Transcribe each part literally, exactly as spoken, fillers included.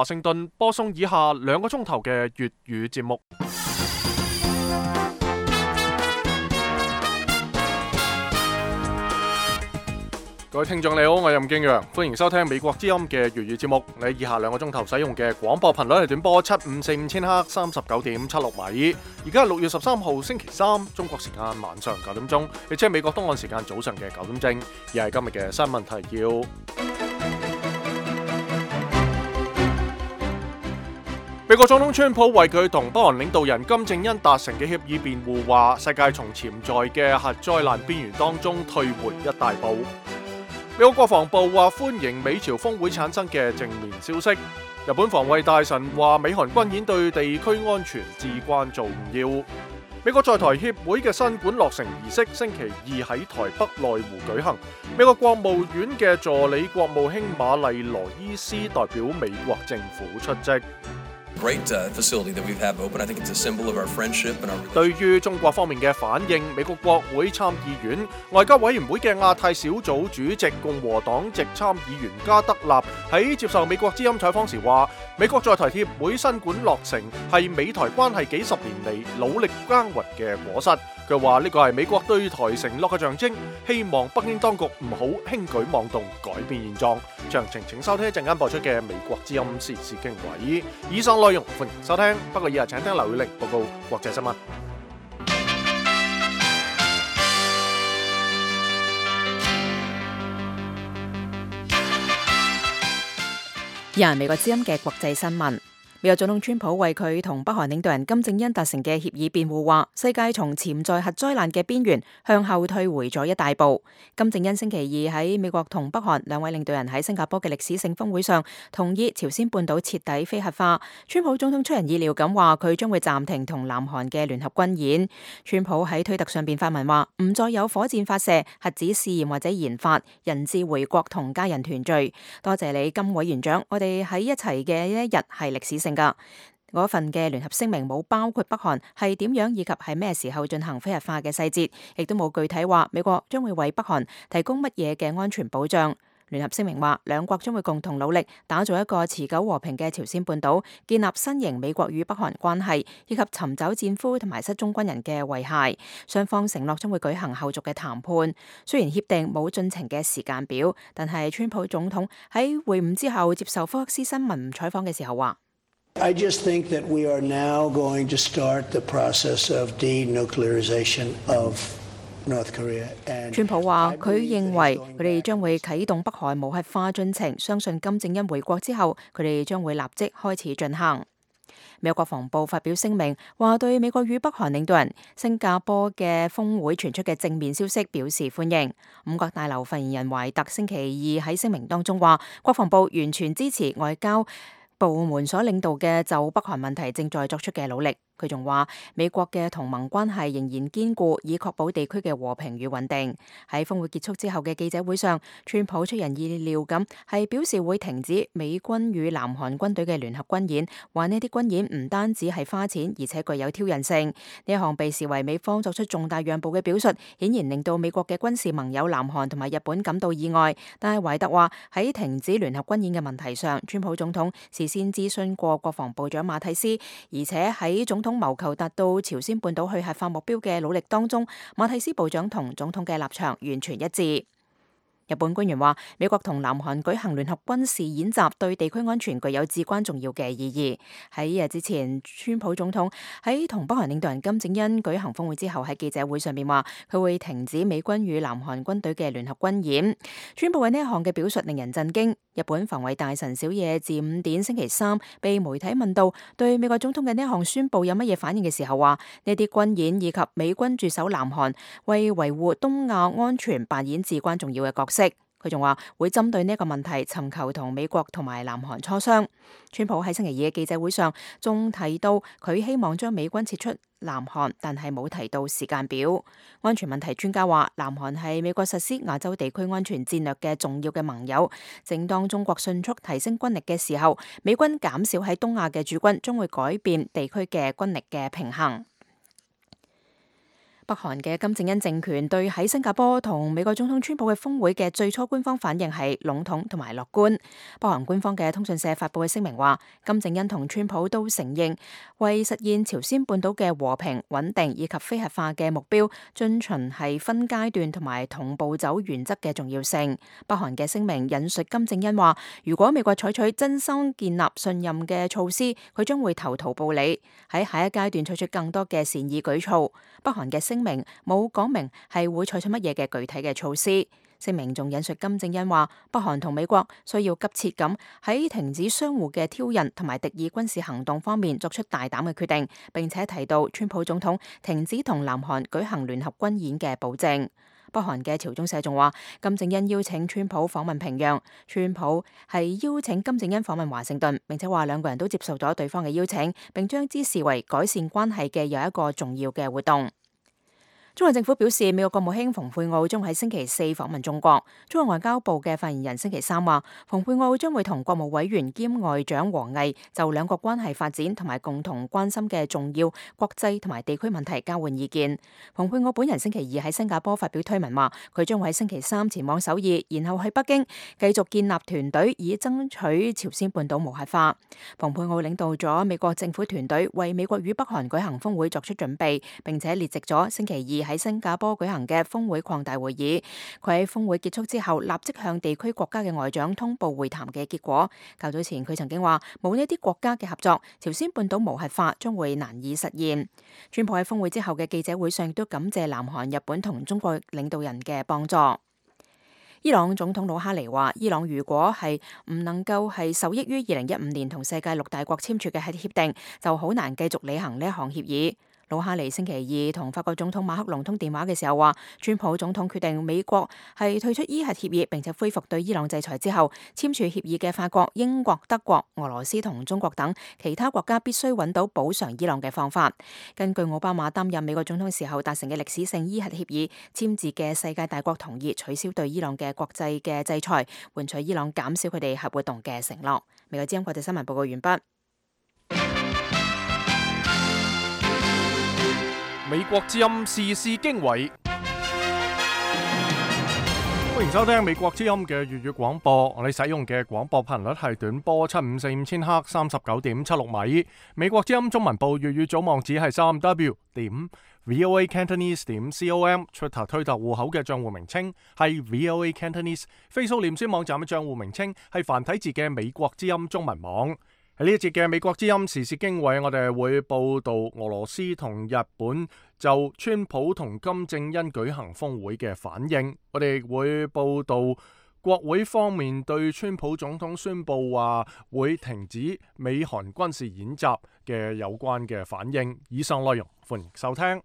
華盛頓播送以下兩個鐘頭嘅粵語節目。各位聽眾你好，我係任敬陽，歡迎收聽美國之音嘅粵語節目。你以下兩個鐘頭使用嘅廣播頻率係短波七五四五千赫三十九點七六米。而家係六月十三號星期三，中國時間晚上九點鐘，亦即係美國東岸時間早上嘅九點正。而係今日嘅新聞提要。美國總統川普為佢同北韓領導人金正恩達成嘅協議辯護，話世界從潛在嘅核災難邊緣當中退回一大步。美國國防部話歡迎美朝峰會產生嘅正面消息。日本防衛大臣話美韓軍演對地區安全至關重要。美國在台協會嘅新館落成儀式星期二喺台北內湖舉行。美國國務院嘅助理國務卿瑪麗羅伊斯代表美國政府出席。Great facility that we've had open. I think it's a symbol of our friendship and our. 對於中國方面嘅反應，美國國會參議院外交委員會嘅亞太小組主席共和黨籍參議員加德納喺接受美國之音採訪時話，美國在台協會新館落成係美台關係幾十年嚟努力耕耘嘅果實。佢話呢個係美國對台承諾嘅象徵，希望北京當局唔好輕舉妄動，改變現狀。詳情請收聽一陣間播出嘅美國之音時事經緯。以上內容歡迎收聽，不過以下請聽劉宇玲報告國際新聞。以下美國之音嘅國際新聞。美國總統川普為佢同北韓領導人金正恩達成嘅協議辯護，話世界從潛在核災難嘅邊緣向後退回咗一大步。金正恩星期二喺美國同北韓兩位領導人喺新加坡嘅歷史性峰會上同意朝鮮半島徹底非核化。川普總統出人意料咁話佢將會暫停同南韓嘅聯合軍演。川普喺推特上邊發文話唔再有火箭發射、核子試驗或者研發，人質回國同家人團聚。多謝你金委員長，我哋喺一齊嘅一日係歷史性噶。嗰份嘅聯合聲明冇包括北韓係點樣以及係咩時候進行非核化嘅細節，亦都冇具體話美國將會為北韓提供乜嘢嘅安全保障。聯合聲明話兩國將會共同努力打造一個持久和平嘅朝鮮半島，建立新型美國與北韓關係，以及尋找戰俘同埋失蹤軍人嘅遺骸。雙方承諾將會舉行後續嘅談判。雖然協定冇進程嘅時間表，但係川普總統喺會晤之後接受福克斯新聞採訪嘅時候話I just think that we are now going to start the process of denuclearization of North Korea. 川普話佢認為佢哋將會啟動北韓無核化進程，相信金正恩回國之後，佢哋將會立即開始進行。美國國防部發表聲明，話對美國與北韓領導人新加坡嘅峰會傳出嘅正面消息表示歡迎。五角大樓發言人懷特星期二喺聲明當中話，國防部完全支持外交部門所領導嘅就北韓問題正在作出嘅努力。佢仲話美國嘅同盟關係仍然堅固，以確保地區嘅和平與穩定。喺峰會結束之後嘅記者會上，川普出人意料咁係表示會停止美軍與南韓軍隊嘅聯合軍演，話呢啲軍演唔單止係花錢，而且具有挑釁性。呢一項被視為美方作出重大讓步嘅表述，顯然令到美國嘅軍事盟友南韓同埋日本感到意外。但係懷特話喺停止聯合軍演嘅問題上，川普總統事先諮詢過國防部長馬蒂斯，而且喺總統謀求達到朝鮮半島去核化目標嘅努力當中，馬蒂斯部長同總統嘅立場完全一致。日本官員話，美國同南韓舉行聯合軍事演習對地區安全具有至關重要嘅意義。喺日之前，川普總統喺同北韓領導人金正恩舉行峰會之後，喺記者會上面話佢會停止美軍與南韓軍隊嘅聯合軍演。川普嘅呢一項嘅表述令人震驚。日本防衛大臣小野寺五典星期三被媒體問到對美國總統嘅呢一項宣佈有乜嘢反應嘅時候，話呢啲軍演以及美軍駐守南韓為維護東亞安全扮演至關重要嘅角色。佢仲話會針對呢一個問題尋求同美國同埋南韓磋商。川普喺星期二嘅記者會上仲提到佢希望將美軍撤出南韓，但係冇提到時間表。安全問題專家話，南韓係美國實施亞洲地區安全戰略嘅重要嘅盟友。正當中國迅速提升軍力嘅時候，美軍減少喺東亞嘅駐軍，將會改變地區嘅軍力嘅平衡。北韓嘅金正恩政權對喺新加坡同美國總統川普嘅峰會嘅最初官方反應係籠統同埋樂觀。北韓官方嘅通訊社發佈嘅聲明話，金正恩同川普都承認為實現朝鮮半島嘅和平穩定以及非核化嘅目標，遵循係分階段同埋同步走原則嘅重要性。北韓嘅聲明引述金正恩話，如果美國採取真心建立信任嘅措施，佢將會投桃報李，喺下一階段採取更多嘅善意舉措。北韓嘅聲明冇講明係會採取乜嘢嘅具體嘅措施。聲明仲引述金正恩話，北韓同美國需要急切咁喺停止相互嘅挑釁同埋敵意軍事行動方面作出大膽嘅決定，並且提到川普總統停止同南韓舉行聯合軍演嘅保證。北韓嘅朝中社仲話，金正恩邀請川普訪問平壤，川普係邀請金正恩訪問華盛頓，並且話兩個人都接受咗對方嘅邀請，並將之視為改善關係嘅又一個重要嘅活動。中國政府表示，美國國務卿蓬佩奧將喺星期四訪問中國。中國外交部嘅發言人星期三話，蓬佩奧將會同國務委員兼外長王毅就兩國關係發展同埋共同關心嘅重要國際同埋地區問題交換意見。蓬佩奧本人星期二喺新加坡發表推文話，佢將會喺星期三前往首爾，然後去北京繼續建立團隊，以爭取朝鮮半島無核化。蓬佩奧領導咗美國政府團隊為美國與北韓舉行峰會作出準備，並且列席咗星期二喺新加坡舉行嘅峰會擴大會議。佢喺峰會結束之後，立即向地區國家嘅外長通報會談嘅結果。較早前佢曾經話，冇呢啲國家嘅合作，朝鮮半島無核化將會難以實現。川普喺峰會之後嘅記者會上亦都感謝南韓、日本同中國領導人嘅幫助。伊朗總統魯哈尼話，伊朗如果係唔能夠係受益於二零一五年同世界六大國簽署嘅核協定，就好難繼續履行呢一項協議。魯哈尼星期二同法國總統馬克龍通電話嘅時候話，川普總統決定美國係退出伊核協議，並且恢復對伊朗制裁之後，簽署協議嘅法國、英國、德國、俄羅斯同中國等其他國家必須揾到補償伊朗嘅方法。根據奧巴馬擔任美國總統時候達成嘅歷史性伊核協議，簽字嘅世界大國同意取消對伊朗嘅國際嘅制裁，換取伊朗減少佢哋核活動嘅承諾。美國之音國際新聞報告完畢。美國之音時事經緯，歡迎收聽美國之音嘅粵語廣播。我哋使用嘅廣播頻率係短波七五四五千赫，三十九點七六米。美國之音中文部粵語組網址係三 w 點 voa cantonese 點 com。Twitter 推特戶口嘅賬戶名稱係 voa cantonese。Facebook 臉書網站嘅賬戶名稱係繁體字嘅美國之音中文網。喺呢一節嘅美國之音時事經緯，我哋會報道俄羅斯同日本就川普同金正恩舉行峰會嘅反應。我哋會報道國會方面對川普總統宣布話會停止美韓軍事演習嘅有關嘅反應。以上內容歡迎收聽。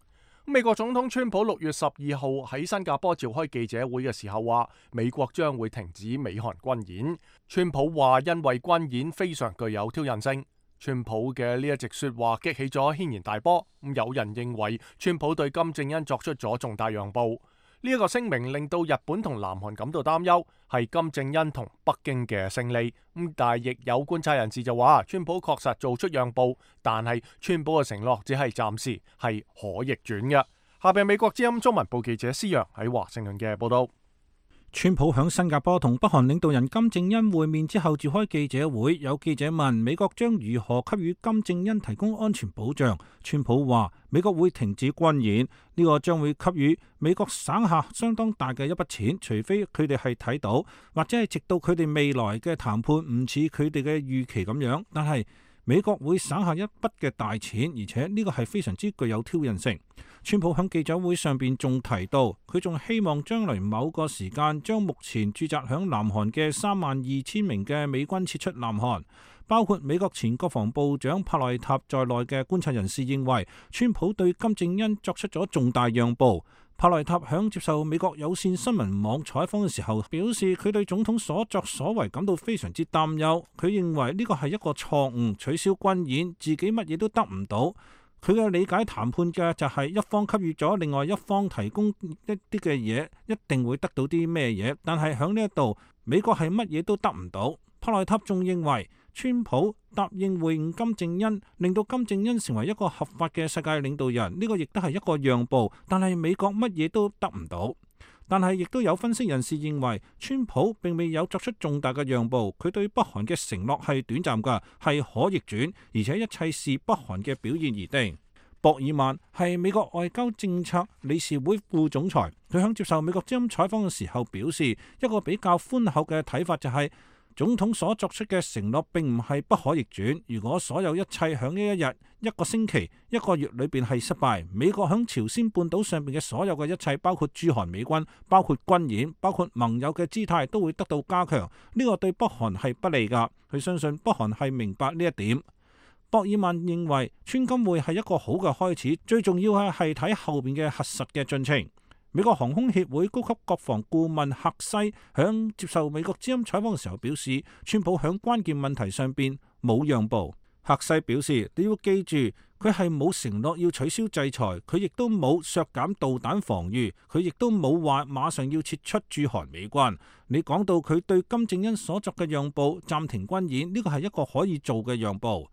美國總統川普六月十二號喺新加坡召開記者會嘅時候話，美國將會停止美韓軍演。川普話因為軍演非常具有挑釁性。川普嘅呢一席說話激起咗軒然大波。有人認為川普對金正恩作出咗重大讓步。呢一個聲明令到日本同南韓感到擔憂，係金正恩同北京嘅勝利。咁但係亦有觀察人士就話，川普確實做出讓步，但係川普嘅承諾只係暫時，係可逆轉嘅。下邊美國之音中文部記者施洋喺華盛頓嘅報道。川普響新加坡同北韓領導人金正恩會面之後召開記者會，有記者問美國將如何給予金正恩提供安全保障。川普話美國會停止軍演，呢個將會給予美國省下相當大嘅一筆錢，除非佢哋係睇到，或者係直到佢哋未來嘅談判唔似佢哋嘅預期咁樣，但係美國會省下一筆嘅大錢，而且呢個係非常之具有挑釁性。川普喺記者會上邊仲提到，佢仲希望將來某個時間將目前駐紮響南韓嘅三萬二千名嘅美軍撤出南韓。包括美國前國防部長帕內塔在內嘅觀察人士認為，川普對金正恩作出咗重大讓步。帕內塔響接受美國有線新聞網採訪嘅時候表示，佢對總統所作所為感到非常之擔憂。佢認為呢個係一個錯誤，取消軍演，自己乜嘢都得唔到。佢嘅理解談判嘅就係一方給予咗另外一方提供一啲嘅嘢，一定會得到啲咩嘢。但係響呢一度，美國係乜嘢都得唔到。帕內塔仲認為川普答應會晤金正恩，令到金正恩成為一個合法嘅世界領導人，呢個亦都係一個讓步，但係美國乜嘢都得唔到。但係亦都有分析人士認為，川普並未有作出重大嘅讓步，佢對北韓嘅承諾係短暫㗎，係可逆轉，而且一切視北韓嘅表現而定。博爾曼係美國外交政策理事會副總裁，佢響接受美國之音採訪嘅時候表示，一個比較寬厚嘅睇法就係、是，總統所作出嘅承諾並唔係不可逆轉。如果所有一切響呢一日、一個星期、一個月裏邊係失敗，美國響朝鮮半島上邊嘅所有嘅一切，包括駐韓美軍、包括軍演、包括盟友嘅姿態，都會得到加強。呢個對北韓係不利㗎。佢相信北韓係明白呢一點。博爾曼認為川金會係一個好嘅開始，最重要係係睇後邊嘅核實嘅進程。美國航空協會高級國防顧問赫西響接受美國之音採訪嘅時候表示，川普響關鍵問題上邊冇讓步。赫西表示，你要記住，佢係冇承諾要取消制裁，佢亦都冇削減導彈防禦，佢亦都冇話馬上要撤出駐韓美軍。你講到佢對金正恩所作嘅讓步，暫停軍演，呢個係一個可以做嘅讓步。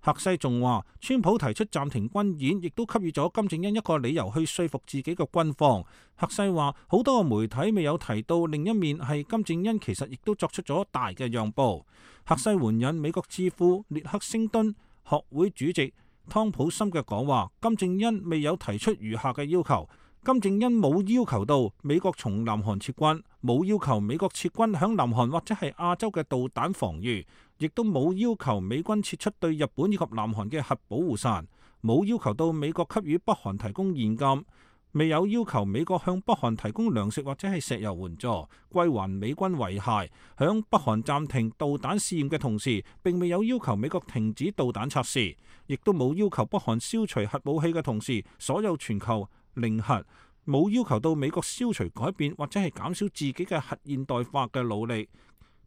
赫西仲話，川普提出暫停軍演，亦都給予咗金正恩一個理由去說服自己嘅軍方。赫西話，好多個媒體未有提到另一面係金正恩其實亦都作出咗大嘅讓步。赫西援引美國智庫列克星敦學會主席湯普森嘅講話，金正恩未有提出餘下嘅要求。金正恩冇要求到美國從南韓撤軍，冇要求美國撤軍響南韓或者係亞洲嘅導彈防禦，亦都冇要求美軍撤出對日本以及南韓嘅核保護傘，冇要求到美國給予北韓提供現金，未有要求美國向北韓提供糧食或者係石油援助，歸還美軍遺骸。響北韓暫停導彈試驗嘅同時，並未有要求美國停止導彈測試，亦都冇要求北韓消除核武器嘅同時，所有全球零核，冇要求到美國消除改變或者係減少自己嘅核現代化嘅努力。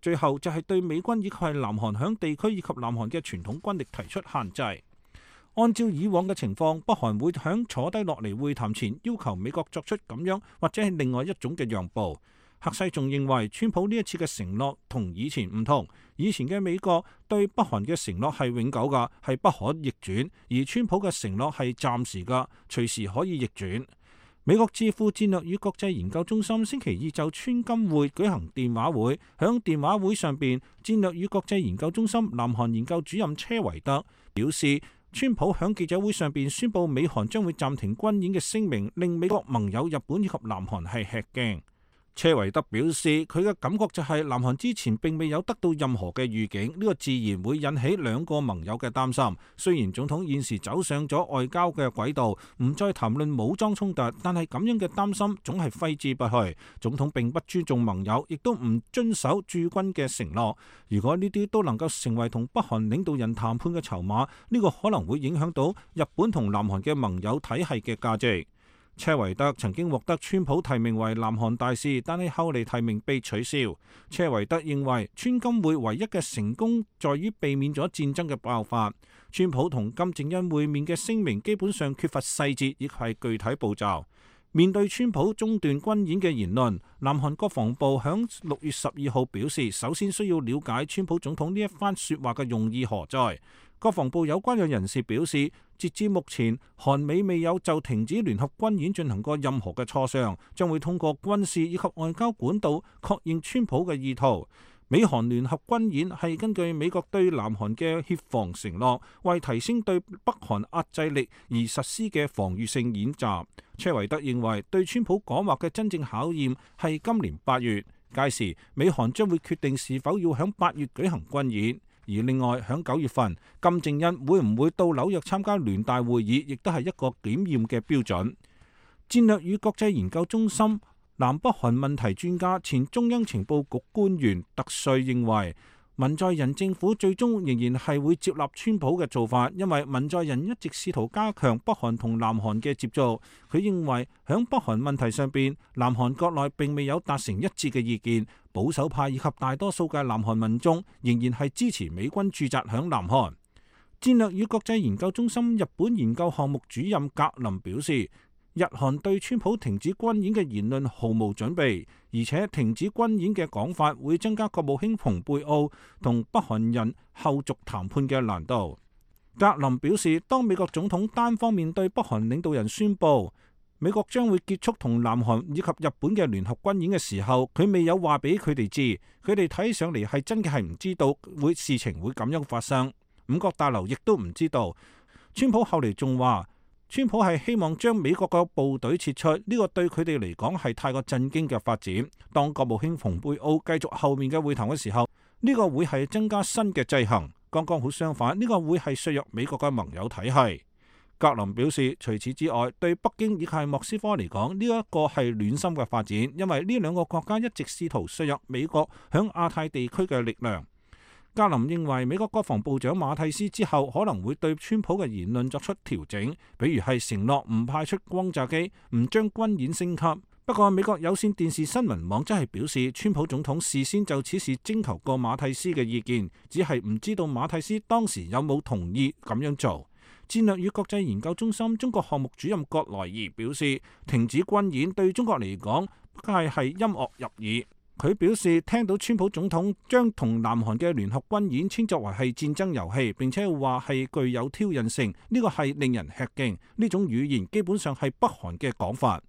最後就係對美軍以及係南韓響地區以及南韓嘅傳統軍力提出限制。按照以往嘅情況，北韓會響坐低落嚟會談前要求美國作出咁樣或者係另外一種嘅讓步。赫西仲認為，川普呢一次嘅承諾同以前唔同，以前嘅美國對北韓嘅承諾係永久㗎，係不可逆轉，而川普嘅承諾係暫時㗎，隨時可以逆轉。美國智庫戰略與國際研究中心星期二就川金會舉行電話會，響電話會上邊，戰略與國際研究中心南韓研究主任車維德表示，川普響記者會上邊宣布美韓將會暫停軍演嘅聲明，令美國盟友日本以及南韓係吃驚。車維德表示，佢嘅感覺就係南韓之前並未有得到任何嘅預警，呢個自然會引起兩個盟友嘅擔心。雖然總統現時走上咗外交嘅軌道，唔再談論武裝衝突，但係咁樣嘅擔心總係揮之不去。總統並不尊重盟友，亦都唔遵守駐軍嘅承諾。如果呢啲都能夠成為同北韓領導人談判嘅籌碼，呢個可能會影響到日本同南韓嘅盟友體系嘅價值。車維德曾經獲得川普提名為南韓大使，但係後嚟提名被取消。車維德認為川金會唯一嘅成功在於避免咗戰爭嘅爆發。川普同金正恩會面嘅聲明基本上缺乏細節，亦係具體步驟。面對川普中斷軍演嘅言論，南韓國防部響六月十二號表示，首先需要了解川普總統呢一番說話嘅用意何在。國防部有關嘅人士表示，截至目前，韓美未有就停止聯合軍演進行過任何嘅磋商，將會通過軍事以及外交管道確認川普嘅意圖。美韓聯合軍演係根據美國對南韓嘅協防承諾，為提升對北韓壓制力而實施嘅防禦性演習。車維德認為，對川普講話嘅真正考驗係今年八月，屆時美韓將會決定是否要響八月舉行軍演。而另外響九月份，金正恩會唔會到紐約參加聯大會議，亦都係一個檢驗嘅標準。戰略與國際研究中心南北韓問題專家、前中央情報局官員特瑞認為，文在寅政府最終仍然係會接納川普嘅做法，因為文在寅一直試圖加強北韓同南韓嘅接觸。佢認為響北韓問題上邊，南韓國內並未有達成一致嘅意見，保守派以及大多數嘅南韓民眾仍然係支持美軍駐紮響南韓。戰略與國際研究中心日本研究項目主任格林表示，日韓對川普停止軍演嘅言論毫無準備，而且停止軍演嘅講法會增加國務卿蓬佩奧同北韓人後續談判嘅難度。格林表示，當美國總統單方面對北韓領導人宣布美國將會結束同南韓以及日本嘅聯合軍演嘅時候，佢未有話俾佢哋知，佢哋睇上嚟係真嘅係唔知道會事情會咁樣發生。五角大樓亦都唔知道。川普後嚟仲話，川普係希望將美國嘅部隊撤出，呢個對佢哋嚟講係太過震驚嘅發展。當國務卿蓬佩奧繼續後面嘅會談嘅時候，呢個會係增加新嘅制衡。剛剛好相反，呢個會係削弱美國嘅盟友體系。格林表示，除此之外，對北京以及莫斯科嚟講，呢一個係暖心嘅發展，因為呢兩個國家一直試圖削弱美國響亞太地區嘅力量。格林認為美國國防部長馬蒂斯之後可能會對川普嘅言論作出調整，比如係承諾唔派出轟炸機，唔將軍演升級。不過美國有線電視新聞網則係表示，川普總統事先就此事徵求過馬蒂斯嘅意見，只係唔知道馬蒂斯當時有冇同意咁樣做。戰略與國際研究中心中國項目主任葛萊儀表示，停止軍演對中國嚟講，梗係係音樂入耳。佢表示，聽到川普總統將同南韓嘅聯合軍演稱作為係戰爭遊戲，並且話係具有挑釁性，呢個係令人吃驚。呢種語言基本上係北韓嘅講法。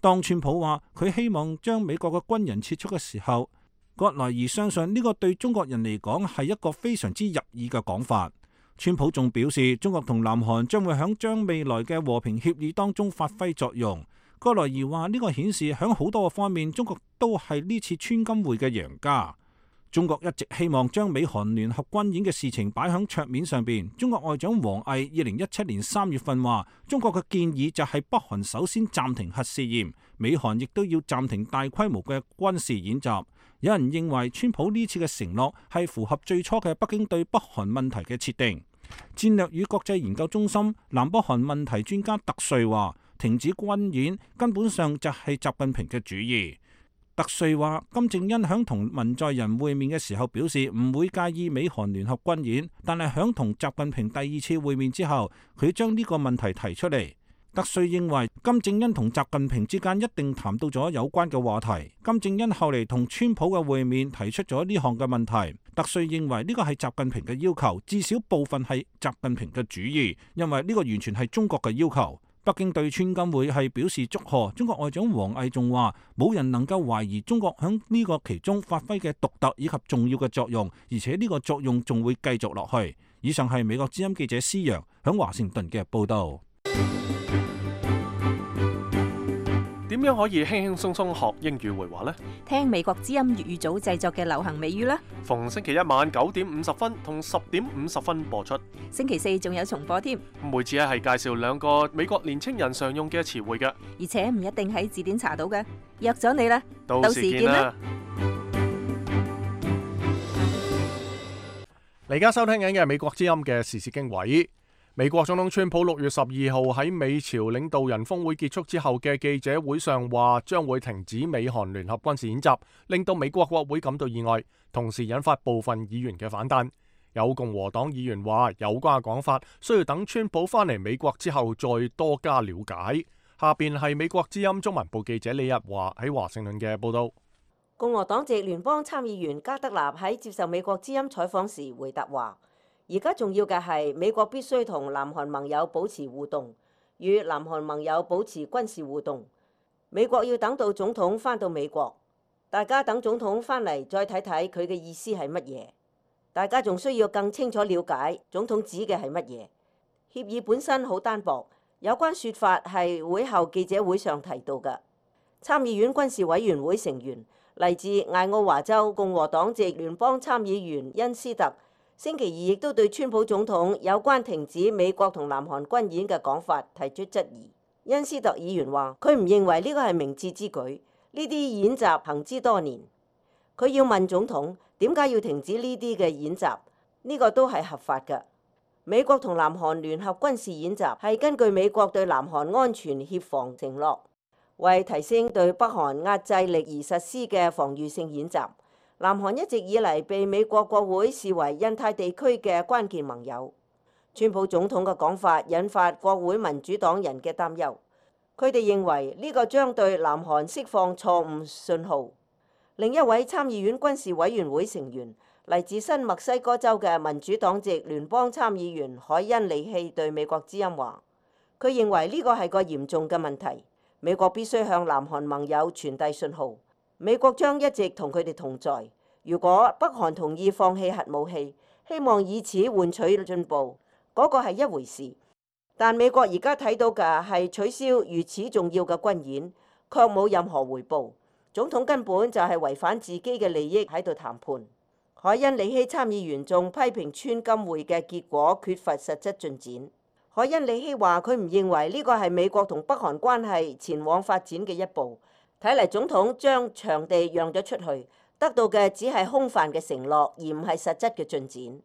當川普話佢希望將美國嘅軍人撤出嘅時候，葛萊儀相信呢個對中國人嚟講係一個非常之入耳嘅講法。川普仲表示，中國同南韓將會響將未來嘅和平協議當中發揮作用。葛萊儀話呢個顯示響好多個方面，中國都係呢次川金會嘅贏家。中國一直希望將美韓聯合軍演嘅事情擺響桌面上邊。中國外長王毅二零一七年三月份話，中國嘅建議就係北韓首先暫停核試驗，美韓亦都要暫停大規模嘅軍事演習。有人認為川普呢次嘅承諾係符合最初嘅北京對北韓問題嘅設定。戰略與國際研究中心南北韓問題專家特瑞話，停止軍演根本上就係習近平嘅主意。特瑞話，金正恩響同文在寅會面嘅時候表示唔會介意美韓聯合軍演，但係響同習近平第二次會面之後，佢將呢個問題提出嚟。特瑞認為金正恩同習近平之間一定談到咗有關嘅話題。金正恩後嚟同川普嘅會面提出咗呢項嘅問題。特瑞認為呢個係習近平嘅要求，至少部分係習近平嘅主意，因為呢個完全係中國嘅要求。北京對川金會係表示祝賀。中國外長王毅仲話，冇人能夠懷疑中國響呢個其中發揮嘅獨特以及重要嘅作用，而且呢個作用仲會繼續落去。以上係美國之音記者施洋響華盛頓嘅報道。點樣可以輕輕鬆鬆學英語會話呢？聽美國之音粵語組製作嘅流行美語啦。逢星期一晚九點五十分同十點五十分播出。星期四仲有重播添。每次咧係介紹兩個美國年青人常用嘅詞彙嘅，而且唔一定喺字典查到嘅。約咗你啦，到時見啦。你而家收聽緊嘅係美國之音嘅時事經緯。美國總統川普六月十二號喺美朝領導人峰會結束之後嘅記者會上話，將會停止美韓聯合軍事演習，令到美國國會感到意外，同時引發部分議員嘅反彈。有共和黨議員話，有關嘅講法需要等川普返嚟美國之後再多加了解。下邊係美國之音中文部記者李日華喺華盛頓嘅報道。共和黨籍聯邦參議員加德納喺接受美國之音採訪時回答話，而家重要嘅係美國必須同南韓盟友保持互動，與南韓盟友保持軍事互動。美國要等到總統返到美國，大家等總統返嚟再睇睇佢嘅意思係乜嘢。大家仲需要更清楚了解總統指嘅係乜嘢。協議本身好單薄，有關說法係會後記者會上提到嘅。參議院軍事委員會成員嚟自艾奧華州共和黨籍聯邦參議員恩斯特，星期二亦都對川普總統有關停止美國同南韓軍演嘅講法提出質疑。恩斯特議員話：佢唔認為呢個係明智之舉，呢啲演習行之多年。佢要問總統點解要停止呢啲嘅演習？呢個都係合法嘅。美國同南韓聯合軍事演習係根據美國對南韓安全協防承諾，為提升對北韓壓制力而實施嘅防禦性演習。南韓一直以嚟被美國國會視為印太地區嘅關鍵盟友。川普總統嘅講法引發國會民主黨人嘅擔憂。佢哋認為呢個將對南韓釋放錯誤信號。另一位參議院軍事委員會成員，嚟自新墨西哥州嘅民主黨籍聯邦參議員海恩里希對美國之音話，佢認為呢個係個嚴重嘅問題，美國必須向南韓盟友傳遞信號，美國將一直同佢哋同在。如果北韓同意放棄核武器，希望以此換取進步，嗰個係一回事。但美國而家睇到嘅係取消如此重要嘅軍演，卻冇任何回報。總統根本就係違反自己嘅利益喺度談判。海恩里希參議員仲批評川金會嘅結果缺乏實質進展。海恩里希話佢唔認為呢個係美國同北韓關係前往發展嘅一步。睇嚟總統將場地讓咗出去，得到嘅只係空泛嘅承諾，而唔係實質嘅進展。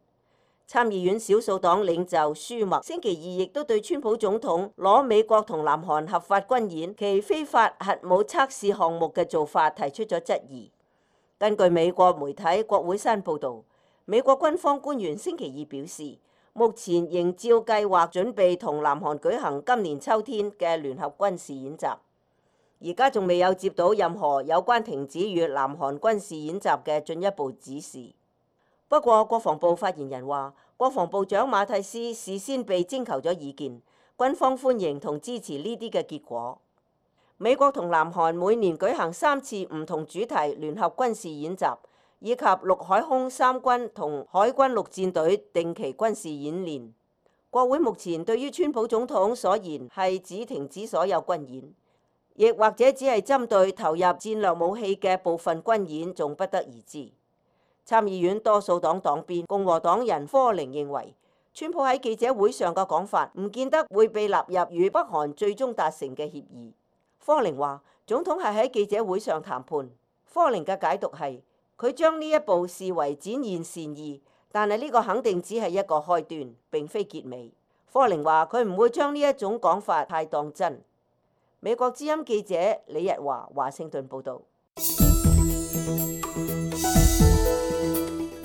參議院少數黨領袖舒默星期二亦都對川普總統攞美國同南韓合法軍演其非法核武測試項目嘅做法提出咗質疑。根據美國媒體國會山報導，美國軍方官員星期二表示，目前仍照計劃準備同南韓舉行今年秋天嘅聯合軍事演習。而家仲未有接到任何有關停止與南韓軍事演習嘅進一步指示。不過，國防部發言人話，國防部長馬蒂斯事先被徵求咗意見，軍方歡迎同支持呢啲嘅結果。美國同南韓每年舉行三次唔同主題聯合軍事演習，以及陸海空三軍同海軍陸戰隊定期軍事演練。國會目前對於川普總統所言係指停止所有軍演，亦或者只係針對投入戰略武器嘅部分軍演，仲不得而知。參議院多數黨黨鞭共和黨人科寧認為，川普喺記者會上嘅講法唔見得會被納入與北韓最終達成嘅協議。科寧話，總統係喺記者會上談判。科寧嘅解讀係，佢將呢一步視為展現善意，但係呢個肯定只係一個開端，並非結尾。科寧話佢唔會將呢一種講法太當真。美國之音記者李日華華盛頓報導。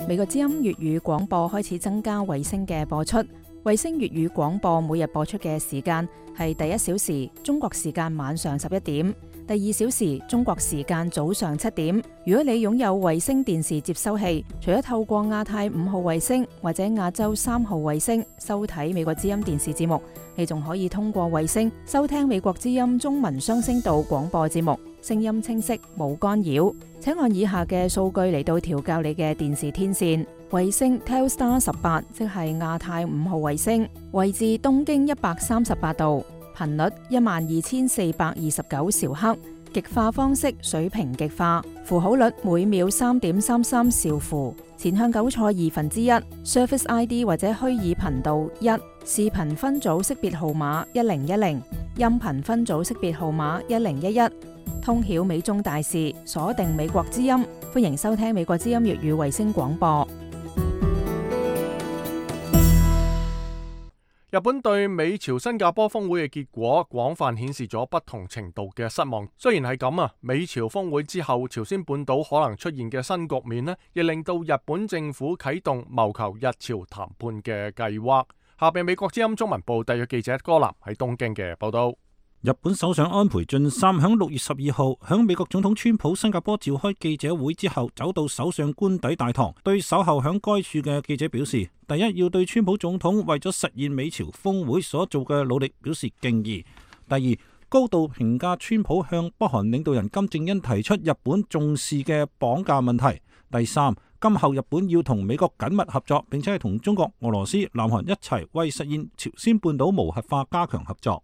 美國之音粵語廣播開始增加衛星嘅播出，衛星粵語廣播每日播出嘅時間係第一小時中國時間晚上十一點，第二小時中國時間早上七點。如果你擁有衛星電視接收器，除咗透過亞太五號衛星或者亞洲三號衛星收睇美國之音電視節目，你仲可以通過衛星收聽美國之音中文雙聲道廣播節目，聲音清晰冇干擾。請按以下嘅數據嚟到調校你嘅電視天線。衛星 Telstar 十八，即係亞太五號衛星，位置東經一百三十八度，頻率一萬二千四百二十九兆赫，極化方式水平極化，符號率每秒三點三三兆符，前向糾錯二分之一 ，Service I D 或者虛擬頻道一，視頻分組識別號碼一零一零，音頻分組識別號碼一零一一。通曉美中大事，鎖定美國之音，歡迎收聽美國之音粵語衛星廣播。日本對美朝新加坡峰會嘅結果廣泛顯示咗不同程度嘅失望。雖然係咁啊，美朝峰會之後，朝鮮半島可能出現嘅新局面呢，亦令到日本政府啟動謀求日朝談判嘅計劃。下邊美國之音中文部特約記者柯南喺東京嘅報道。日本首相安倍晉三響六月十二號響美國總統川普新加坡召開記者會之後，走到首相官邸大堂，對守候響該處嘅記者表示：第一，要對川普總統為咗實現美朝峰會所做嘅努力表示敬意；第二，高度評價川普向北韓領導人金正恩提出日本重視嘅綁架問題；第三，今後日本要同美國緊密合作，並且係同中國、俄羅斯、南韓一齊為實現朝鮮半島無核化加強合作。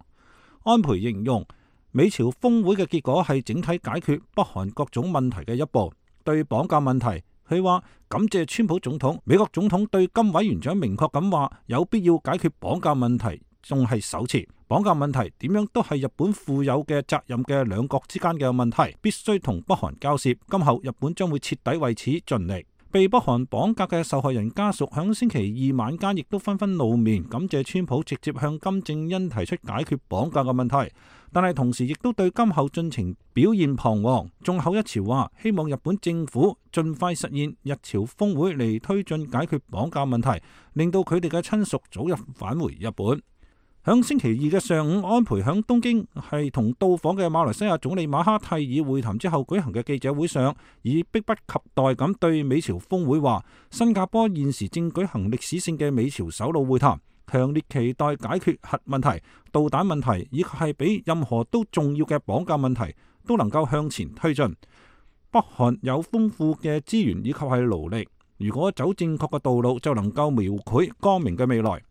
安倍形容美朝峰會嘅結果係整體解決北韓各種問題嘅一步。對綁架問題，佢話感謝川普總統、美國總統對金委員長明確咁話有必要解決綁架問題，仲係首次。綁架問題點樣都係日本負有嘅責任嘅兩國之間嘅問題，必須同北韓交涉。今後日本將會徹底為此盡力。被北韓綁架嘅受害人家屬響星期二晚間亦都紛紛露面，感謝川普直接向金正恩提出解決綁架嘅問題，但係同時亦都對今後進程表現彷徨。眾口一詞話希望日本政府盡快實現日朝峰會嚟推進解決綁架問題，令到佢哋嘅親屬早日返回日本。響星期二嘅上午，安倍響東京係同到訪嘅馬來西亞總理馬哈蒂爾會談之後舉行嘅記者會上，以迫不及待咁對美朝峰會話，新加坡現時正舉行歷史性嘅美朝首腦會談，強烈期待解決核問題、導彈問題，以及係比任何都重要嘅綁架問題都能夠向前推進。北韓有豐富嘅資源以及係勞力，如果走正確嘅道路，就能夠描繪光明嘅未來。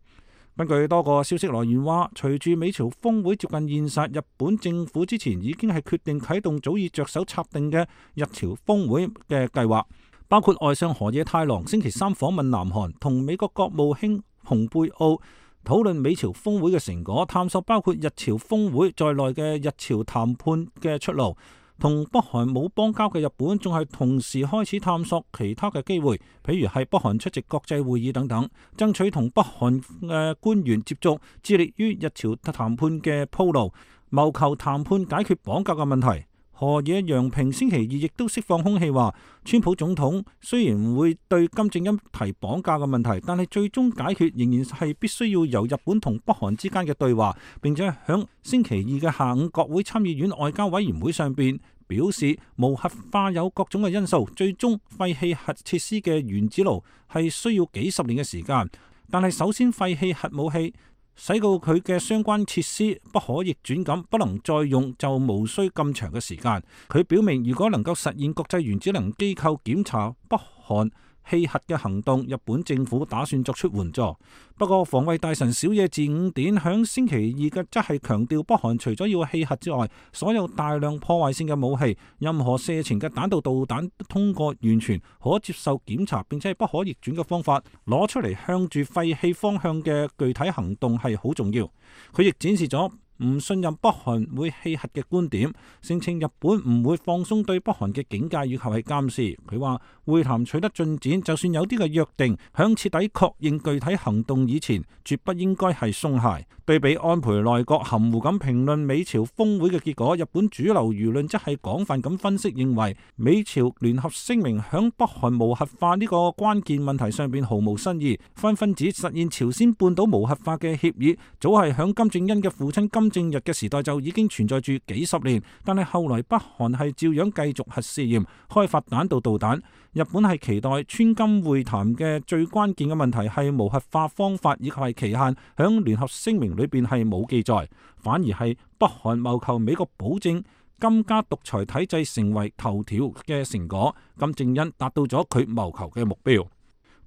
根據多個消息來源話，隨住美朝峰會接近現實，日本政府之前已經係決定啟動早已着手策定嘅日朝峰會嘅計劃，包括外相河野太郎星期三訪問南韓，同美國國務卿蓬佩奧討論美朝峰會嘅成果，探索包括日朝峰會在內嘅日朝談判嘅出路。同北韓冇邦交嘅日本仲係同時開始探索其他嘅機會，譬如係北韓出席國際會議等等，爭取同北韓嘅官員接觸，致力於日朝談判嘅鋪路，謀求談判解決綁架嘅問題。河野洋平星期二亦都釋放空氣話，川普總統雖然會對金正恩提綁架嘅問題，但係最終解決仍然係必須要由日本同北韓之間嘅對話，並且響星期二嘅下午國會參議院外交委員會上邊表示，無核化有各種嘅因素，最終廢棄核設施嘅原子爐係需要幾十年嘅時間，但係首先廢棄核武器，使到佢嘅相關設施不可逆轉咁不能再用，就無需咁長嘅時間。佢表明，如果能夠實現國際原子能機構檢查北韓棄核嘅行動，日本政府打算作出援助。不過防衛大臣小野寺五典響星期二嘅則係強調，北韓除咗要棄核之外，所有大量破壞性嘅武器，任何射程嘅彈道導彈通過完全可接受檢查並且係不可逆轉嘅方法攞出嚟向住廢棄方向嘅具體行動係好重要。佢亦展示咗唔信任北韓會棄核嘅觀點，聲稱日本唔會放鬆對北韓嘅警戒以及係監視。佢話會談取得進展，就算有啲嘅約定，響徹底確認具體行動以前，絕不應該係鬆懈。對比安倍內閣含糊咁評論美朝峰會嘅結果，日本主流輿論則係廣泛咁分析，認為美朝聯合聲明響北韓無核化呢個關鍵問題上邊毫無新意，紛紛指實現朝鮮半島無核化嘅協議早係響金正恩嘅父親金正日嘅時代就已經存在住幾十年，但係後來北韓係照樣繼續核試驗，開發彈道導彈。日本係期待川金會談嘅最關鍵嘅問題係無核化方法以及係期限，響聯合聲明裏邊係冇記載，反而係北韓謀求美國保證金家獨裁體制成為頭條嘅成果，金正恩達到咗佢謀求嘅目標。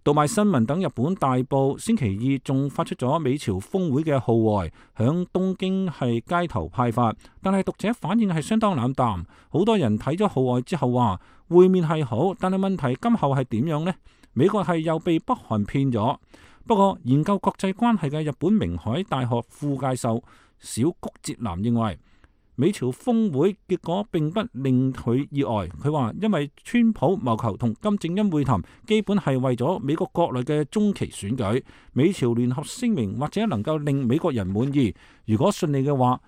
讀賣新聞等日本大報星期二仲發出咗美朝峰會嘅號外，響東京係街頭派發，但係讀者反應係相當冷淡。好多人睇咗號外之後話會面係好，但係問題今後係點樣呢？美國係又被北韓騙咗。不過研究國際關係嘅日本明海大學副教授小谷哲男認為，美朝峰會結果並不令佢意外。佢話因為川普謀求同金正恩會談，基本係為咗美國國內嘅中期選舉。美朝聯合聲明或者能夠令美國人滿意，如果順利嘅話，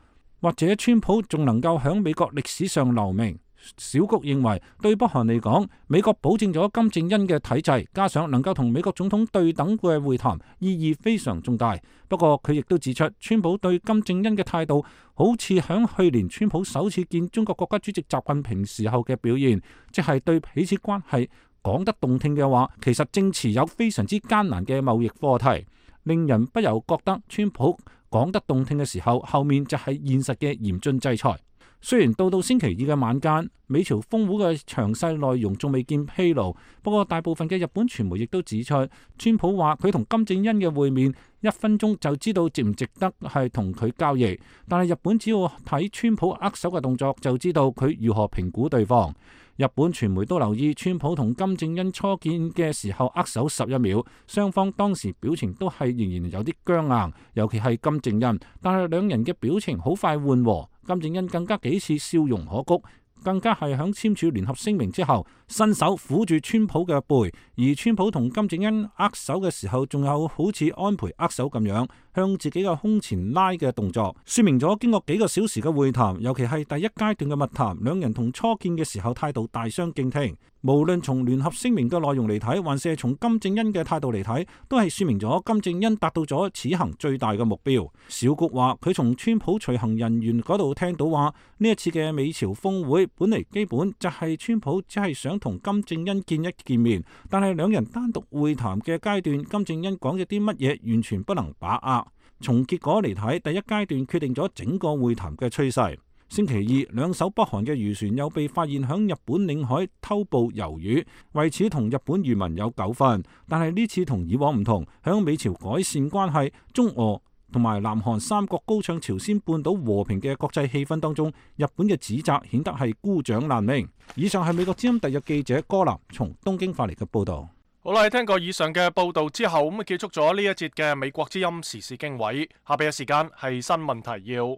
或者川普仲能夠響美國歷史上留名。小谷認為，對北韓嚟講，美國保證咗金正恩嘅體制，加上能夠同美國總統對等嘅會談，意義非常重大。不過佢亦都指出，川普對金正恩嘅態度，好似響去年川普首次見中國國家主席習近平時候嘅表現，即係對彼此關係講得動聽嘅話，其實正持有非常之艱難嘅貿易課題，令人不由覺得川普講得動聽嘅時候，後面就係現實嘅嚴峻制裁。雖然到到星期二嘅晚間，美朝峰會嘅詳細內容仲未見披露，不過大部分嘅日本傳媒亦都指出，川普話佢同金正恩嘅會面一分鐘就知道值唔值得係同佢交易，但係日本只要睇川普握手嘅動作就知道佢如何評估對方。日本傳媒都留意川普同金正恩初見嘅時候握手十一秒，雙方當時表情都係仍然有啲僵硬，尤其係金正恩，但係兩人嘅表情好快緩和，金正恩更加幾次笑容可掬，更加係響簽署聯合聲明之後，伸手撫住川普嘅背，而川普同金正恩握手嘅時候，仲有好似安倍握手咁樣向自己嘅胸前拉嘅動作，說明咗經過幾個小時嘅會談，尤其係第一階段嘅密談，兩人同初見嘅時候態度大相徑庭。無論從聯合聲明嘅內容嚟睇，還是係從金正恩嘅態度嚟睇，都係說明咗金正恩達到咗此行最大嘅目標。小谷話佢從川普隨行人員嗰度聽到話，呢一次嘅美朝峰會本嚟基本就係川普只係想同金正恩見一見面，但係兩人單獨會談嘅階段，金正恩講咗啲乜嘢完全不能把握。從結果嚟睇，第一階段決定咗整個會談嘅趨勢。星期二，兩艘北韓嘅漁船又被發現響日本領海偷捕魷魚，為此同日本漁民有糾紛。但係呢次同以往唔同，響美朝改善關係、中俄同埋南韓三國高唱朝鮮半島和平嘅國際氣氛當中，日本嘅指責顯得係孤掌難鳴。以上係美國之音特約記者柯南從東京發嚟嘅報道。好啦，聽過以上嘅報道之後，咁啊結束咗呢一節嘅美國之音時事經緯。下邊嘅時間係新聞提要。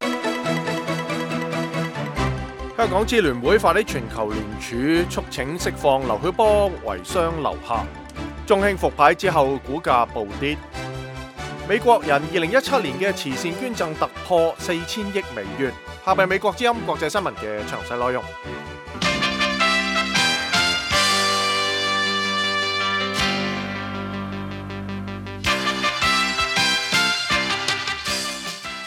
香港支聯會發起全球聯署，促請釋放劉曉波遺孀劉霞。中興復牌之後，股價暴跌。美國人二零一七年嘅慈善捐贈突破四千億美元。下邊美國之音國際新聞嘅詳細內容。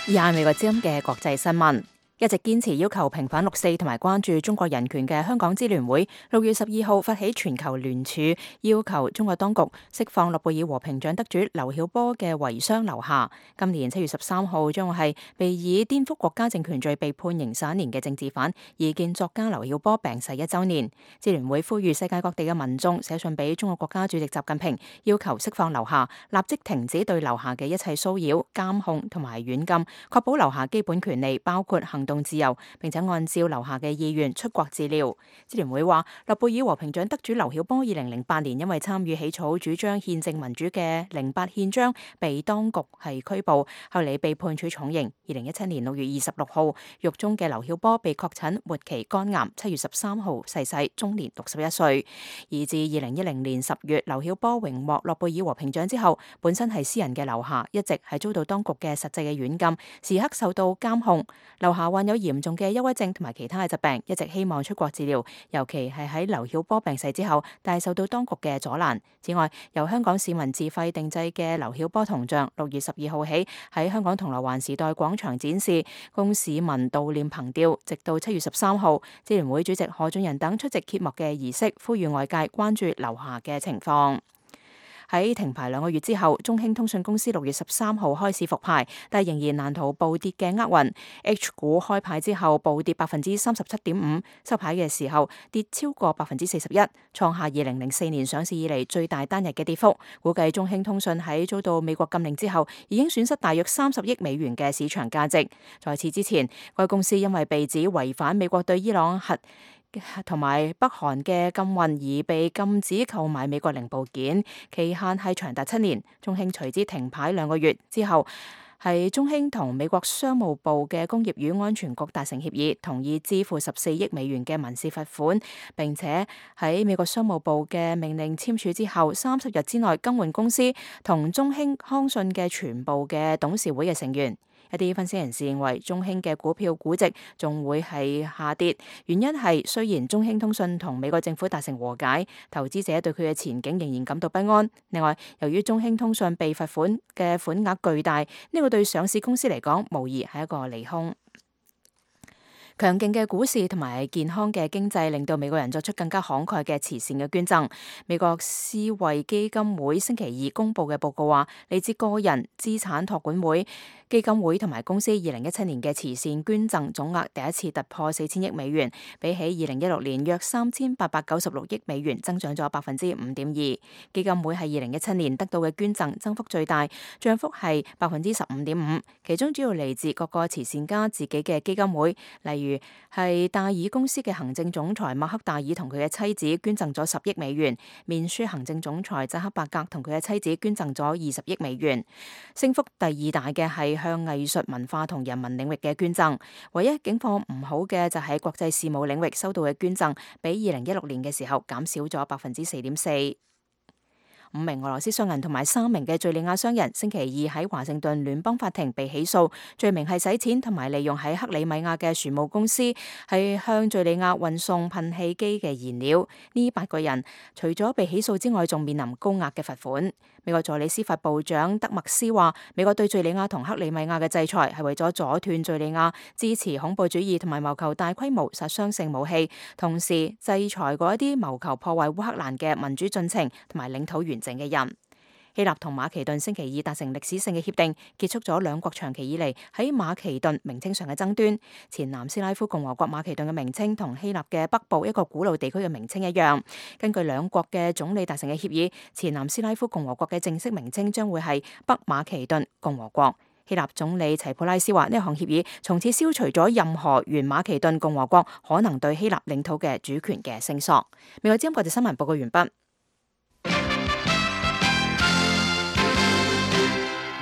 以下美國之音嘅國際新聞。一直堅持要求平反六四同埋關注中國人權嘅香港支聯會，六月十二號發起全球聯署，要求中國當局釋放諾貝爾和平獎得主劉曉波嘅遺孀劉霞。今年七月十三號將會係被以顛覆國家政權罪被判刑十一年嘅政治犯、異見作家劉曉波病逝一週年。支聯會呼籲世界各地嘅民眾寫信俾中國國家主席習近平，要求釋放劉霞，立即停止對劉霞嘅一切騷擾、監控同埋軟禁，確保劉霞基本權利，包括行動自由，並且按照劉霞嘅意願出國治療。支聯會話，諾貝爾和平獎得主劉曉波二零零八年因為參與起草主張憲政民主嘅零八憲章，被當局係拘捕，後嚟被判處重刑。二零一七年六月二十六號，獄中嘅劉曉波被確診末期肝癌，七月十三號逝世，終年六十一歲。而自二零一零年十月，劉曉波榮獲諾貝爾和平獎之後，本身係詩人嘅劉霞一直係遭到當局嘅實際嘅軟禁，時刻受到監控。劉霞患有嚴重嘅憂鬱症同埋其他嘅疾病，一直希望出國治療，尤其係喺劉曉波病逝之後，但係受到當局嘅阻攔。此外，由香港市民自費定製嘅劉曉波銅像，六月十二號起喺香港銅鑼灣時代廣場展示，供市民悼念憑吊，直到七月十三號。支聯會主席何俊仁等出席揭幕嘅儀式，呼籲外界關注劉霞嘅情況。喺停牌兩個月之後，中興通訊公司六月十三號開始復牌，但仍然難逃暴跌嘅厄運。H 股開牌之後暴跌百分之三十七點五，收牌嘅時候跌超過百分之四十一，創下二零零四年上市以嚟最大單日嘅跌幅。估計中興通訊喺遭到美國禁令之後，已經損失大約三十億美元嘅市場價值。在此之前，該公司因為被指違反美國對伊朗核同埋北韓嘅禁運而被禁止購買美國零部件，期限係長達七年。中興隨之停牌兩個月之後，係中興同美國商務部嘅工業與安全局達成協議，同意支付十四億美元嘅民事罰款，並且喺美國商務部嘅命令簽署之後，三十日之內更換公司同中興康信嘅全部嘅董事會嘅成員。一啲分析人士認為，中興嘅股票估值仲會係下跌，原因係雖然中興通訊同美國政府達成和解，投資者對佢嘅前景仍然感到不安。另外，由於中興通訊被罰款嘅款額巨大，呢個對上市公司嚟講，無疑係一個利空。強勁嘅股市同埋健康嘅經濟令到美國人作出更加慷慨嘅慈善嘅捐贈。美國思惠基金會星期二公布嘅報告話，嚟自個人資產託管會、基金會同埋公司二零一七年嘅慈善捐贈總額第一次突破四千億美元，比起二零一六年約三千八百九十六億美元，增長咗百分之五點二。基金會係二零一七年得到嘅捐贈增幅最大，漲幅係百分之十五點五，其中主要嚟自各個慈善家自己嘅基金會，例如係戴爾公司嘅行政總裁馬克戴爾同佢嘅妻子捐贈咗十億美元，面書行政總裁扎克伯格同佢嘅妻子捐贈咗二十億美元。升幅第二大嘅係向藝術文化同人文領域嘅捐贈，唯一境況唔好嘅就係國際事務領域收到嘅捐贈，比二零一六年嘅時候減少咗百分之四點四。五名俄羅斯商人同埋三名嘅敘利亞商人星期二喺華盛頓聯邦法庭被起訴，罪名係洗錢同埋利用喺克里米亞嘅船務公司係向敘利亞運送噴氣機嘅燃料。呢八個人除咗被起訴之外，仲面臨高額嘅罰款。美國助理司法部長德麥斯話，美國對敘利亞同克里米亞嘅制裁係為咗阻斷敘利亞支持恐怖主義同埋謀求大規模殺傷性武器，同時制裁嗰一啲謀求破壞烏克蘭嘅民主進程同埋領土完整嘅人。希臘同馬其頓星期二達成歷史性嘅協定，結束咗兩國長期以嚟喺馬其頓名稱上嘅爭端。前南斯拉夫共和國馬其頓嘅名稱同希臘嘅北部一個古老地區嘅名稱一樣。根據兩國嘅總理達成嘅協議，前南斯拉夫共和國嘅正式名稱將會係北馬其頓共和國。希臘總理齊普拉斯話，呢項協議從此消除咗任何原馬其頓共和國可能對希臘領土嘅主權嘅聲索。美國之音國際新聞報告完畢。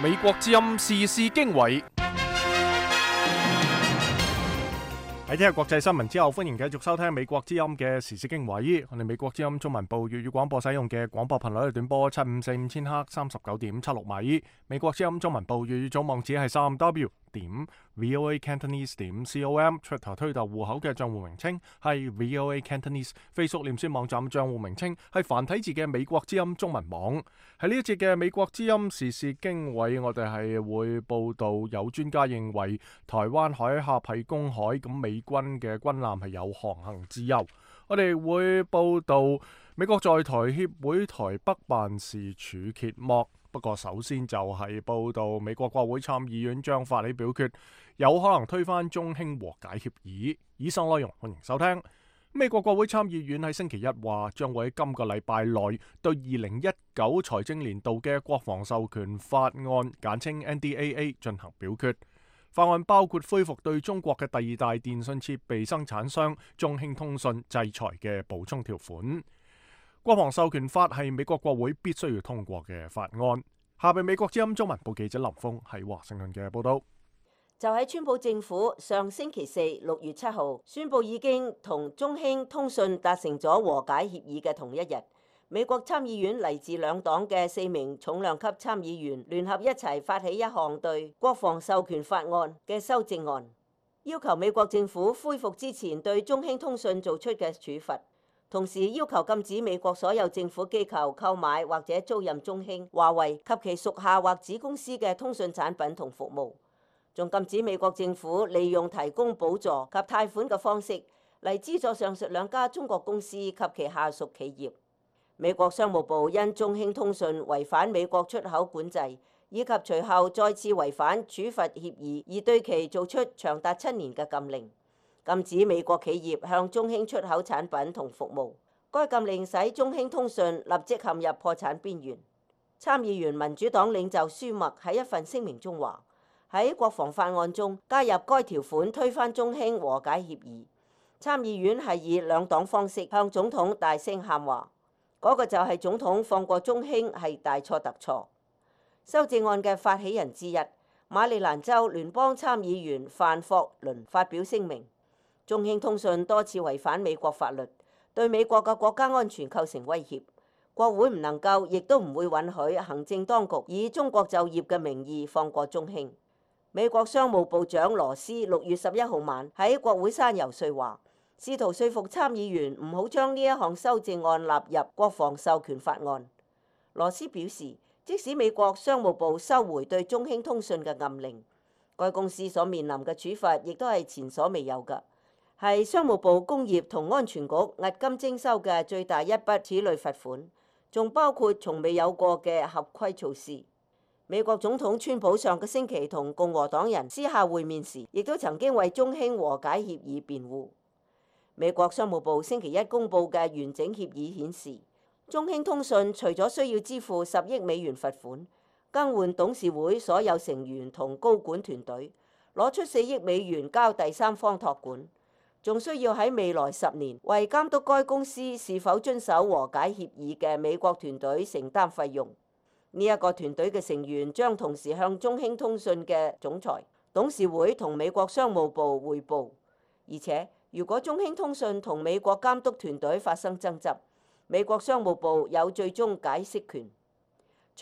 美國之音時事經緯。喺聽日國際新聞之後，歡迎繼續收聽美國之音嘅時事經緯。我哋美國之音中文部粵語廣播使用嘅廣播頻率係短波七五四五千赫三十九點七六米。美國之音中文部粵語總網址係三 W 點 V O A Cantonese 點 C O M。出頭推特戶口嘅賬戶名稱係 V O A Cantonese。Facebook 臉書網站賬戶名稱係繁體字嘅美國之音中文網。喺呢一節嘅美國之音時事經緯，我哋係會報道有專家認為台灣海峽係公海，咁美軍嘅軍艦係有航行自由。我哋會報道美國在台協會台北辦事處揭幕。不過首先就係報道美國國會參議院將發起表決，有可能推翻中興和解協議。以上內容歡迎收聽。美國國會參議院喺星期一話，將會喺今個禮拜內對二零一九財政年度嘅國防授權法案簡稱 N D A A 進行表決。法案包括恢復對中國嘅第二大電信設備生產商中興通訊制裁嘅補充條款。國防授權法係美國國會必須要通過嘅法案。下邊美國之音中文部記者林峰喺華盛頓嘅報道。就喺川普政府上星期四六月七號宣布已經同中興通訊達成咗和解協議嘅同一日，美國參議院嚟自兩黨嘅四名重量級參議員聯合一齊發起一項對國防授權法案嘅修正案，要求美國政府恢復之前對中興通訊做出嘅處罰，同時要求禁止美國所有政府機構購買或者租賃中興、華為及其屬下或子公司嘅通訊產品同服務。仲禁止美國政府利用提供補助及貸款嘅方式嚟資助上述兩家中國公司及其下屬企業。美國商務部因中興通訊違反美國出口管制，以及隨後再次違反處罰協議，而對其做出長達七年嘅禁令，禁止美國企業向中興出口產品同服務。該禁令使中興通訊立即陷入破產邊緣。參議員民主黨領袖舒默喺一份聲明中話，喺國防法案中加入該條款推翻中興和解協議。參議院係以兩黨方式向總統大聲喊話，嗰、那個就係總統放過中興係大錯特錯。修正案嘅發起人之一，馬里蘭州聯邦參議員范霍倫發表聲明，中興通訊多次違反美國法律，對美國嘅國家安全構成威脅。國會唔能夠，亦都唔會允許行政當局以中國就業嘅名義放過中興。美國商務部長羅斯六月十一號晚喺國會山遊說話，試圖說服參議員唔好將呢一項修正案納入國防授權法案。羅斯表示，即使美國商務部收回對中興通訊嘅禁令，該公司所面臨嘅處罰亦都係前所未有嘅，係商務部工業同安全局押金徵收嘅最大一筆此類罰款，仲包括從未有過嘅合規措施。美國總統川普上個星期同共和黨人私下會面時，亦都曾經為中興和解協議辯護。美國商務部星期一公佈嘅完整協議顯示，中興通訊除咗需要支付十億美元罰款，更換董事會所有成員同高管團隊，攞出四億美元交第三方託管，仲需要喺未來十年為監督該公司是否遵守和解協議嘅美國團隊承擔費用。呢一個團隊嘅成員將同時向中興通訊嘅總裁、董事會同美國商務部匯報，而且如果中興通訊同美國監督團隊發生爭執，美國商務部有最終解釋權。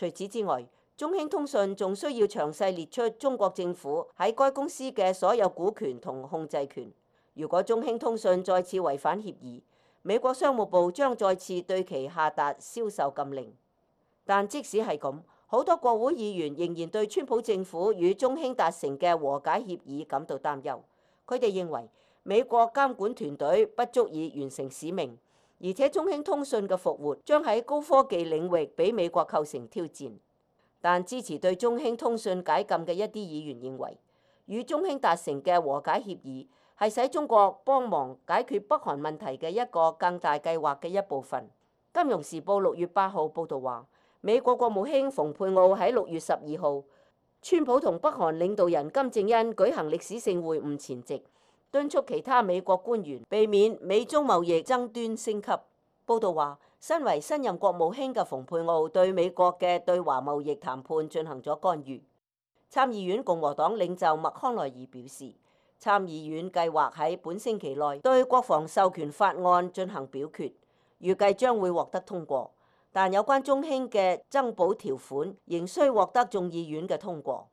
除此之外，中興通訊仲需要詳細列出中國政府喺該公司嘅所有股權同控制權。如果中興通訊再次違反協議，美國商務部將再次對其下達銷售禁令。但即使係咁，好多國會議員仍然對川普政府與中興達成嘅和解協議感到擔憂。佢哋認為美國監管團隊不足以完成使命，而且中興通訊嘅復活將喺高科技領域俾美國構成挑戰。但支持對中興通訊解禁嘅一啲議員認為，與中興達成嘅和解協議係使中國幫忙解決北韓問題嘅一個更大計劃嘅一部分。金融時報六月八號報導話，美國國務卿蓬佩奧喺六月十二號，川普同北韓領導人金正恩舉行歷史性會晤前夕，敦促其他美國官員避免美中貿易爭端升級。報導話，身為新任國務卿嘅蓬佩奧對美國嘅對華貿易談判進行咗干預。參議院共和黨領袖麥康奈爾表示，參議院計劃喺本星期內對國防授權法案進行表決，預計將會獲得通過。但有關中興嘅增補條款仍需獲得眾議院嘅通過。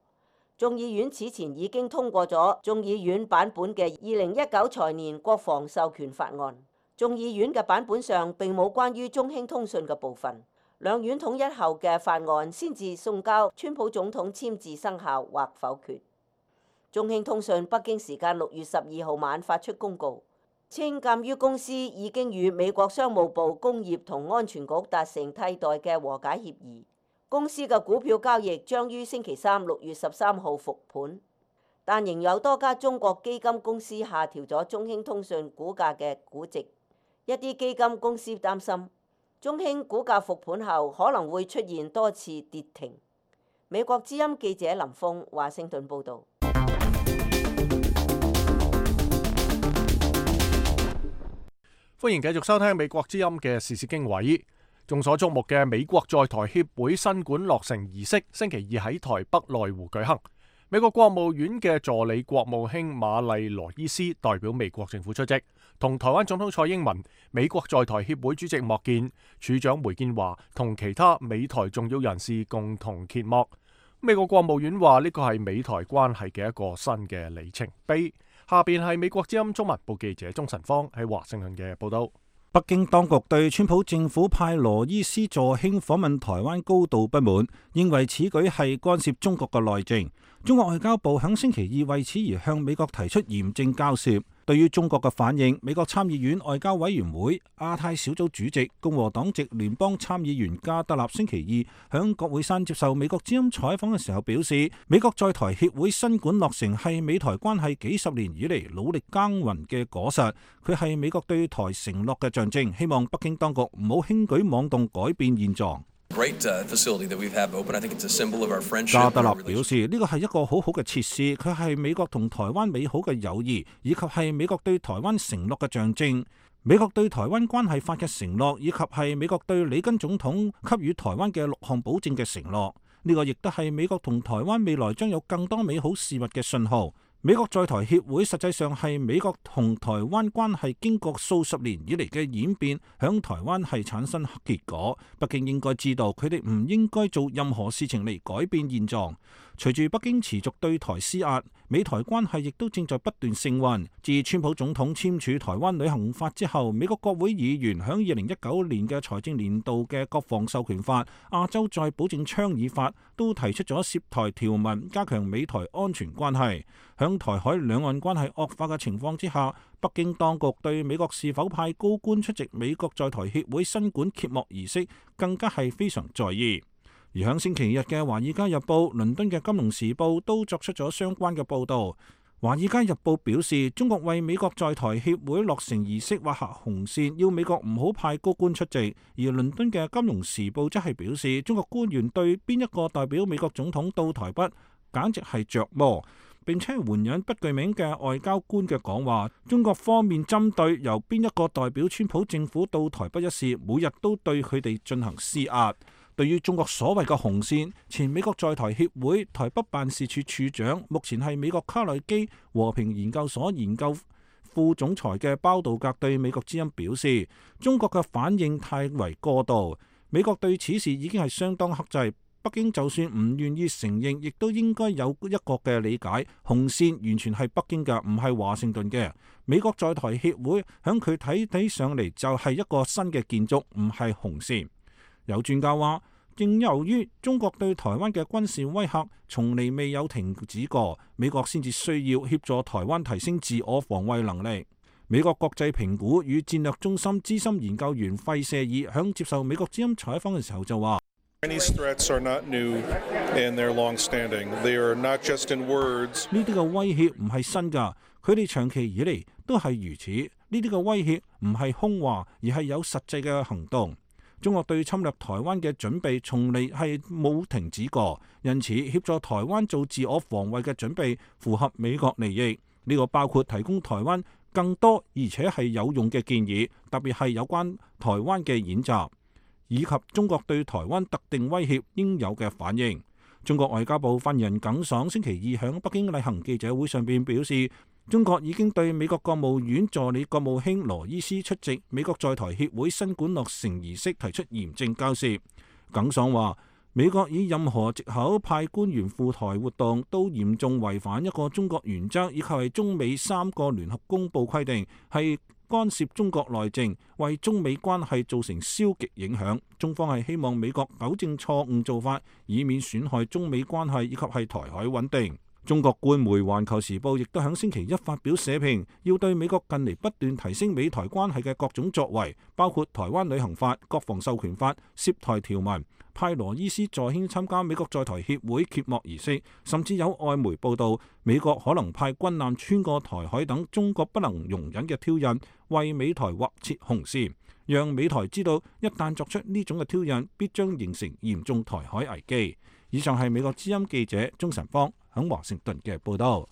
眾議院此前已經通過咗眾議院版本嘅二零一九財年國防授權法案。眾議院嘅版本上並冇關於中興通訊嘅部分，兩院統一後嘅法案先至送交川普總統簽字生效或否決。中興通訊北京時間六月十二號晚發出公告，稱鑑於公司已經與美國商務部工業同安全局達成替代嘅和解協議，公司嘅股票交易將於星期三六月十三號復盤，但仍有多家中國基金公司下調咗中興通訊股價嘅估值。一啲基金公司擔心，中興股價復盤後可能會出現多次跌停。美國之音記者林峰華盛頓報導。歡迎繼續收聽美國之音嘅時事經緯。眾所矚目嘅美國在台協會新館落成儀式，星期二喺台北內湖舉行。美國國務院嘅助理國務卿瑪麗羅伊斯代表美國政府出席，同台灣總統蔡英文、美國在台協會主席莫健、處長梅建華同其他美台重要人士共同揭幕。美國國務院話呢個係美台關係嘅一個新嘅里程碑。下邊係美國之音中文部記者鍾晨芳喺華盛頓嘅報道。北京當局對川普政府派羅伊斯助卿訪問台灣高度不滿，認為此舉係干涉中國嘅內政。中國外交部響星期二為此而向美國提出嚴正交涉。對於中國嘅反應，美國參議院外交委員會亞太小組主席共和黨籍聯邦參議員加德納星期二響國會山接受美國之音採訪嘅時候表示，美國在台協會新館落成係美台關係幾十年以嚟努力耕耘嘅果實，佢係美國對台承諾嘅象徵，希望北京當局唔好輕舉妄動改變現狀。加德納表示，呢個係一個好好嘅設施，佢係美國同台灣美好嘅友誼，以及係美國對台灣承諾嘅象徵。美國對台灣關係法嘅承諾，以及係美國對里根總統給予台灣嘅六項保證嘅承諾。呢個亦都係美國同台灣未來將有更多美好事物嘅信號。美國在台協會實際上係美國同台灣關係經過數十年以嚟嘅演變，響台灣係產生結果。北京應該知道，佢哋唔應該做任何事情嚟改變現狀。隨住北京持續對台施壓，美台關係亦都正在不斷升溫。自川普總統簽署台灣旅行法之後，美國國會議員響二零一九年嘅財政年度嘅國防授權法、亞洲再保證倡議法都提出咗涉台條文，加強美台安全關係。響台海兩岸關係惡化嘅情況之下，北京當局對美國是否派高官出席美國在台協會新館揭幕儀式更加係非常在意。而響星期日嘅《華爾街日報》、倫敦嘅《金融時報》都作出咗相關嘅報導。《華爾街日報》表示，中國為美國在台協會落成儀式畫下紅線，要美國唔好派高官出席。而倫敦嘅《金融時報》則係表示，中國官員對邊一個代表美國總統到台北，簡直係着魔。並且援引不具名嘅外交官嘅講話，中國方面針對由邊一個代表川普政府到台北一事，每日都對佢哋進行施壓。對於中國所謂嘅紅線，前美國在台協會台北辦事處處長，目前係美國卡內基和平研究所研究副總裁嘅包道格對美國之音表示，中國嘅反應太為過度，美國對此事已經係相當克制。北京就算唔願意承認，亦都應該有一個嘅理解，紅線完全係北京嘅，唔係華盛頓嘅。美國在台協會響佢睇睇上嚟就係一個新嘅建築，唔係紅線。有專家話，正由於中國對台灣嘅軍事威嚇從嚟未有停止過，美國先至需要協助台灣提升自我防衛能力。美國國際評估與戰略中心資深研究員費舍爾響接受美國之音採訪嘅時候就話：呢啲嘅威脅唔係新㗎，佢哋長期以嚟都係如此。呢啲嘅威脅唔係空話，而係有實際嘅行動。中國對侵略台灣嘅準備從嚟係冇停止過，因此協助台灣做自我防衛嘅準備符合美國利益。呢個包括提供台灣更多而且係有用嘅建議，特別係有關台灣嘅演習，以及中國對台灣特定威脅應有嘅反應。中國外交部發言人耿爽星期二喺北京例行記者會上邊表示，中國已經對美國國務院助理國務卿羅伊斯出席美國在台協會新館落成儀式提出嚴正交涉。耿爽話，美國以任何藉口派官員赴台活動，都嚴重違反一個中國原則，以及係中美三個聯合公報規定，係干涉中國內政，為中美關係造成消極影響。中方係希望美國糾正錯誤做法，以免損害中美關係以及係台海穩定。中國官媒《環球時報》亦都喺星期一發表社評，要對美國近嚟不斷提升美台關係嘅各種作為，包括台灣旅行法、國防授權法、涉台條文，派羅伊斯助卿參加美國在台協會揭幕儀式，甚至有外媒報道美國可能派軍艦穿過台海等中國不能容忍嘅挑釁，為美台劃設紅線，讓美台知道一旦作出呢種嘅挑釁，必將形成嚴重台海危機。以上係美國之音記者鍾晨芳喺華盛頓嘅報道。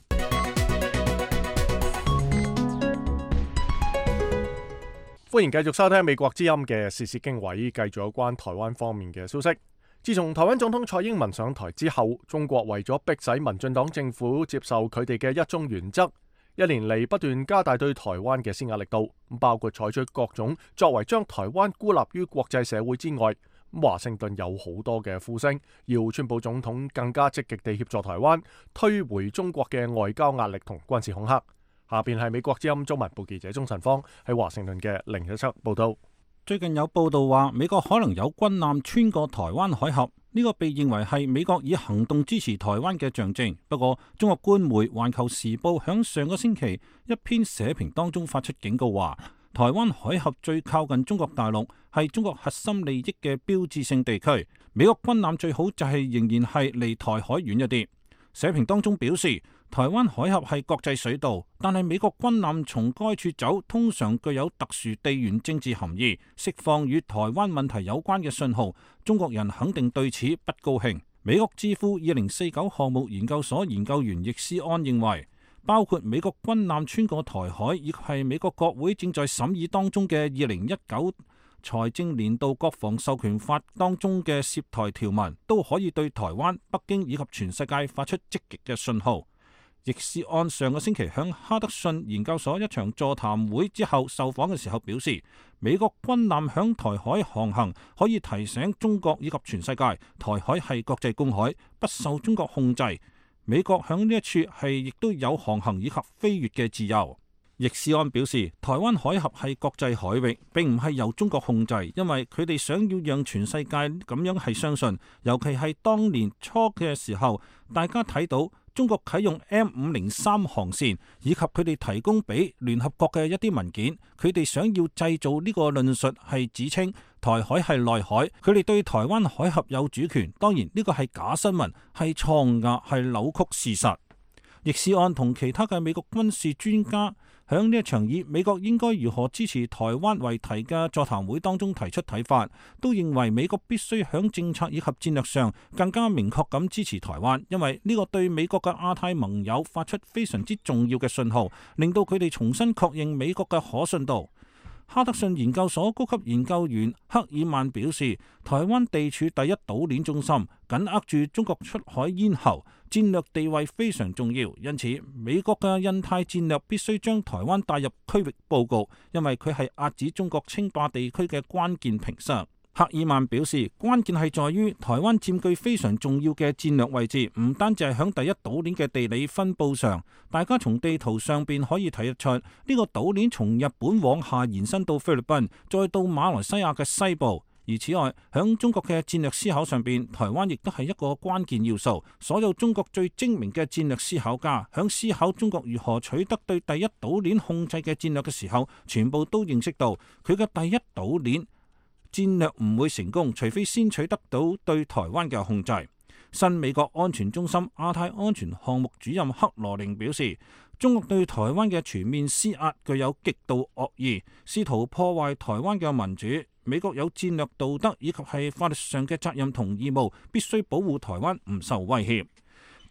歡迎繼續收聽美國之音嘅時事經緯，繼續有關台灣方面嘅消息。自從台灣總統蔡英文上台之後，中國為咗迫使民進黨政府接受佢哋嘅一中原則，一年嚟不斷加大對台灣嘅施壓力度，包括採取各種作為將台灣孤立於國際社會之外。華盛頓有好多嘅呼聲，要川普總統更加積極地協助台灣，推回中國嘅外交壓力同軍事恐嚇。下邊係美國之音中文部記者鍾晨芳喺華盛頓嘅另一則報道。最近有報道話，美國可能有軍艦穿過台灣海峽，呢個被認為係美國以行動支持台灣嘅象徵。不過，中國官媒《環球時報》響上個星期一篇社評當中發出警告話，台灣海峽最靠近中國大陸，係中國核心利益嘅標誌性地區。美國軍艦最好就係仍然係離台海遠一啲。社評當中表示，台灣海峽係國際水道，但係美國軍艦從該處走，通常具有特殊地緣政治含義，釋放與台灣問題有關嘅信號。中國人肯定對此不高興。美國智庫二零四九項目研究所研究員易思安認為，包括美國軍艦穿過台海，亦係美國國會正在審議當中嘅二零一九財政年度國防授權法當中嘅涉台條文，都可以對台灣、北京以及全世界發出積極嘅信號。易思安上個星期響哈德遜研究所一場座談會之後受訪嘅時候表示，美國軍艦響台海航行可以提醒中國以及全世界，台海係國際公海，不受中國控制。美國響呢一處係亦都有航行以及飛越嘅自由。易思安表示，台灣海峽係國際海域，並唔係由中國控制，因為佢哋想要讓全世界咁樣係相信，尤其係當年初嘅時候，大家睇到中國啟用 M 五零三航線，以及佢哋提供俾聯合國嘅一啲文件，佢哋想要製造呢個論述係指稱台海係內海，佢哋對台灣海峽有主權。當然呢個係假新聞，係錯誤，係扭曲事實。易思安同其他嘅美國軍事專家響呢一場以美國應該如何支持台灣為題嘅座談會當中提出睇法，都認為美國必須響政策以及戰略上更加明確咁支持台灣，因為呢個對美國嘅亞太盟友發出非常之重要嘅信號，令到佢哋重新確認美國嘅可信度。哈德遜研究所高級研究員克爾曼表示，台灣地處第一島鏈中心，緊握住中國出海咽喉，戰略地位非常重要。因此，美國嘅印太戰略必須將台灣帶入區域佈局，因為佢係遏止中國稱霸地區嘅關鍵屏障。赫爾曼表示，關鍵係在於台灣佔據非常重要嘅戰略位置，唔單止係響第一島鏈嘅地理分佈上，大家從地圖上邊可以睇得出，呢、這個島鏈從日本往下延伸到菲律賓，再到馬來西亞嘅西部。而此外，響中國嘅戰略思考上邊，台灣亦都係一個關鍵要素。所有中國最精明嘅戰略思考家，響思考中國如何取得對第一島鏈控制嘅戰略嘅時候，全部都認識到佢嘅第一島鏈戰略唔會成功，除非先取得到對台灣嘅控制。新美國安全中心亞太安全項目主任克羅寧表示，中國對台灣嘅全面施壓具有極度惡意，試圖破壞台灣嘅民主。美國有戰略道德以及係法律上嘅責任同義務，必須保護台灣唔受威脅。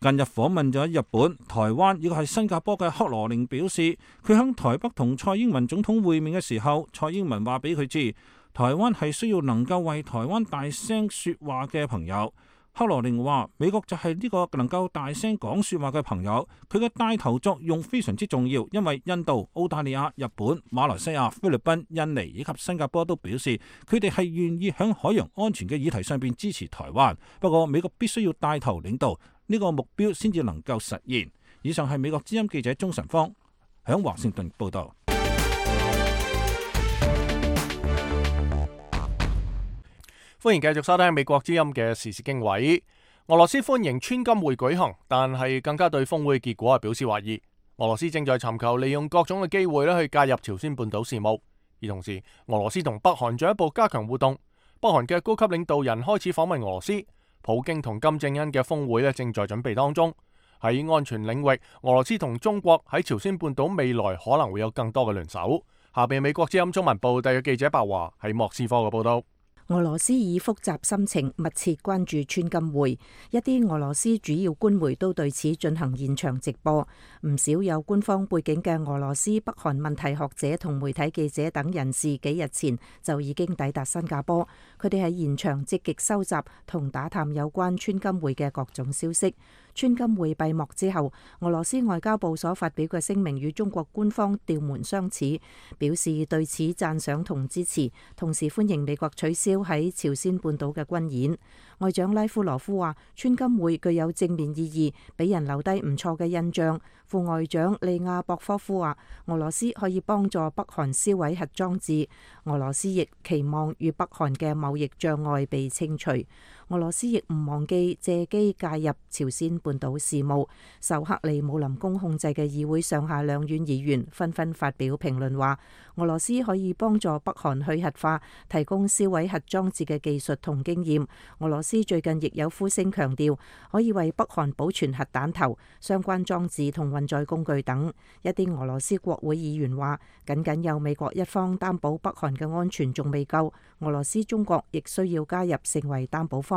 近日訪問咗日本、台灣以及係新加坡嘅克羅寧表示，佢喺台北同蔡英文總統會面嘅時候，蔡英文話俾佢知，台灣係需要能夠為台灣大聲說話嘅朋友。克羅寧話，美國就係呢個能夠大聲講說話嘅朋友，佢嘅帶頭作用非常之重要，因為印度、澳大利亞、日本、馬來西亞、菲律賓、印尼以及新加坡都表示，佢哋係願意喺海洋安全嘅議題上邊支持台灣。不過美國必須要帶頭領導呢個目標，先至能夠實現。以上係美國之音記者鍾晨芳喺華盛頓報道。歡迎繼續收聽美國之音嘅時事經緯。俄羅斯歡迎川金會舉行，但係更加對峰會結果係表示懷疑。俄羅斯正在尋求利用各種嘅機會咧去介入朝鮮半島事務，而同時俄羅斯同北韓進一步加強互動。北韓嘅高級領導人開始訪問俄羅斯，普京同金正恩嘅峰會咧正在準備當中。喺安全領域，俄羅斯同中國喺朝鮮半島未來可能會有更多嘅聯手。下邊美國之音中文部特約記者白華喺莫斯科嘅報道。俄羅斯以複雜心情密切關注川金會，一啲俄羅斯主要官媒都對此進行現場直播。唔少有官方背景嘅俄羅斯北韓問題學者同媒體記者等人士幾日前就已經抵達新加坡，佢哋喺現場積極收集同打探有關川金會嘅各種消息。川金會閉幕之後，俄羅斯外交部所發表嘅聲明與中國官方調門相似，表示對此讚賞同支持，同時歡迎美國取消喺朝鮮半島嘅軍演。外長拉夫羅夫話，川金會具有正面意義，俾人留低唔錯嘅印象。副外長利亞博科夫話，俄羅斯可以幫助北韓銷毀核裝置，俄羅斯亦期望與北韓嘅貿易障礙被清除。俄羅斯亦唔忘記借機介入朝鮮半島事務。受克里姆林宮控制嘅議會上下兩院議員紛紛發表評論話，俄羅斯可以幫助北韓去核化，提供銷毀核裝置嘅技術同經驗。俄羅斯最近亦有呼聲強調，可以為北韓保存核彈頭、相關裝置同運載工具等。一啲俄羅斯國會議員話，僅僅有美國一方擔保北韓嘅安全仲未夠，俄羅斯、中國亦需要加入成為擔保方。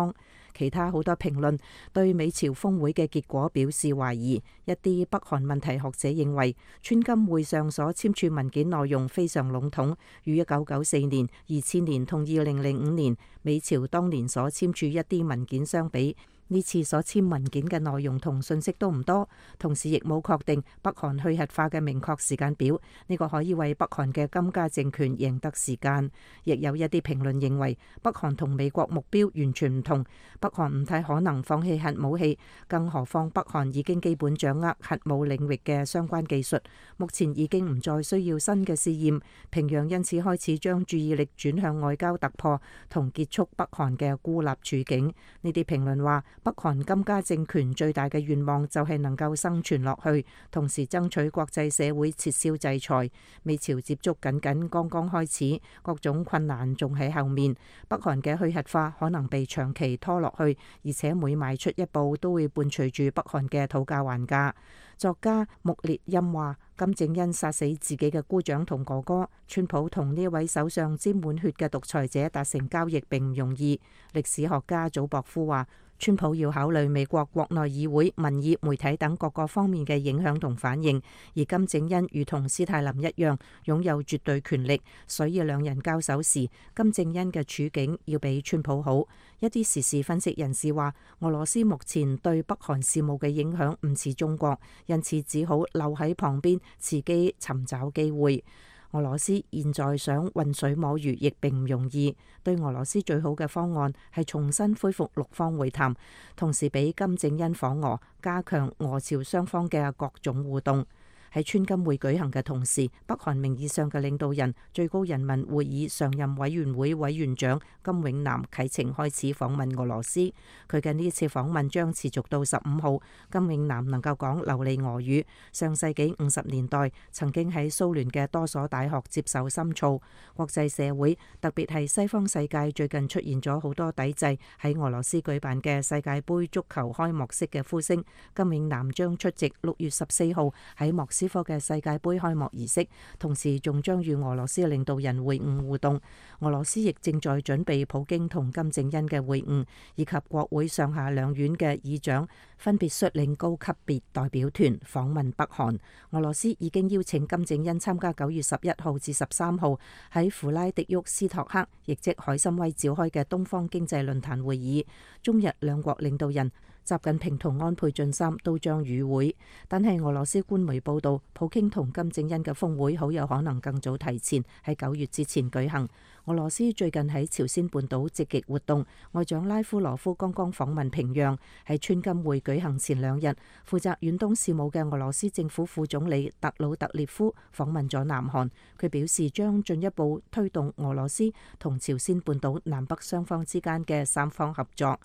其他好多評論對美朝峰會嘅結果表示懷疑。一啲北韓問題學者認為，川金會上所簽署文件內容非常籠統，與一九九四年、二千年同二零零五年美朝當年所簽署一啲文件相比，呢次所簽文件嘅內容同信息都唔多，同時亦冇確定北韓去核化嘅明確時間表。呢個可以為北韓嘅金家政權贏得時間。亦有一啲評論認為，北韓同美國目標完全唔同，北韓唔太可能放棄核武器，更何況北韓已經基本掌握核武領域嘅相關技術，目前已經唔再需要新嘅試驗。平壤因此開始將注意力轉向外交突破同結束北韓嘅孤立處境。呢啲評論話，北韓金家政權最大嘅願望就係能夠生存落去，同時爭取國際社會撤銷制裁。美朝接觸僅僅剛剛開始，各種困難仲喺後面。北韓嘅去核化可能被長期拖落去，而且每邁出一步都會伴隨住北韓嘅討價還價。作家穆列欽話，金正恩殺死自己嘅姑丈同哥哥，川普同呢位手上沾滿血嘅獨裁者達成交易並唔容易。歷史學家祖博夫話，川普要考慮美國國內議會、民意、媒體等各個方面嘅影響同反應，而金正恩如同斯大林一樣擁有絕對權力，所以兩人交手時，金正恩嘅處境要比川普好。一啲時事分析人士話，俄羅斯目前對北韓事務嘅影響唔似中國，因此只好留喺旁邊，伺機尋找機會。俄羅斯現在想渾水摸魚亦並唔容易，對俄羅斯最好嘅方案係重新恢復六方會談，同時俾金正恩訪俄，加強俄朝雙方嘅各種互動。喺川金會舉行嘅同時，北韓名義上嘅領導人、最高人民會議常任委員會委員長金永南啟程開始訪問俄羅斯。佢嘅呢次訪問將持續到十五號。金永南能夠講流利俄語，上世紀五十年代曾經喺蘇聯嘅多所大學接受深造。國際社會，特別係西方世界，最近出現咗好多抵制喺俄羅斯舉辦嘅世界盃足球開幕式嘅呼聲。金永南將出席六月十四號喺莫斯科嘅世界盃開幕儀式，同時仲將與俄羅斯嘅領導人會晤互動。俄羅斯亦正在準備普京同金正恩嘅會晤，以及國會上下兩院嘅議長分別率領高級別代表團訪問北韓。俄羅斯已經邀請金正恩參加九月十一號至十三號喺弗拉迪沃斯托克，亦即海參崴召開嘅東方經濟論壇會議。中日兩國領導人習近平同安倍晉三都將與會，但係俄羅斯官媒報道，普京同金正恩嘅峰會好有可能更早提前喺九月之前舉行。俄羅斯最近喺朝鮮半島積極活動，外長拉夫羅夫剛剛訪問平壤。喺川金會舉行前兩日，負責遠東事務嘅俄羅斯政府副總理特魯特列夫訪問咗南韓，佢表示將進一步推動俄羅斯同朝鮮半島南北雙方之間嘅三方合作。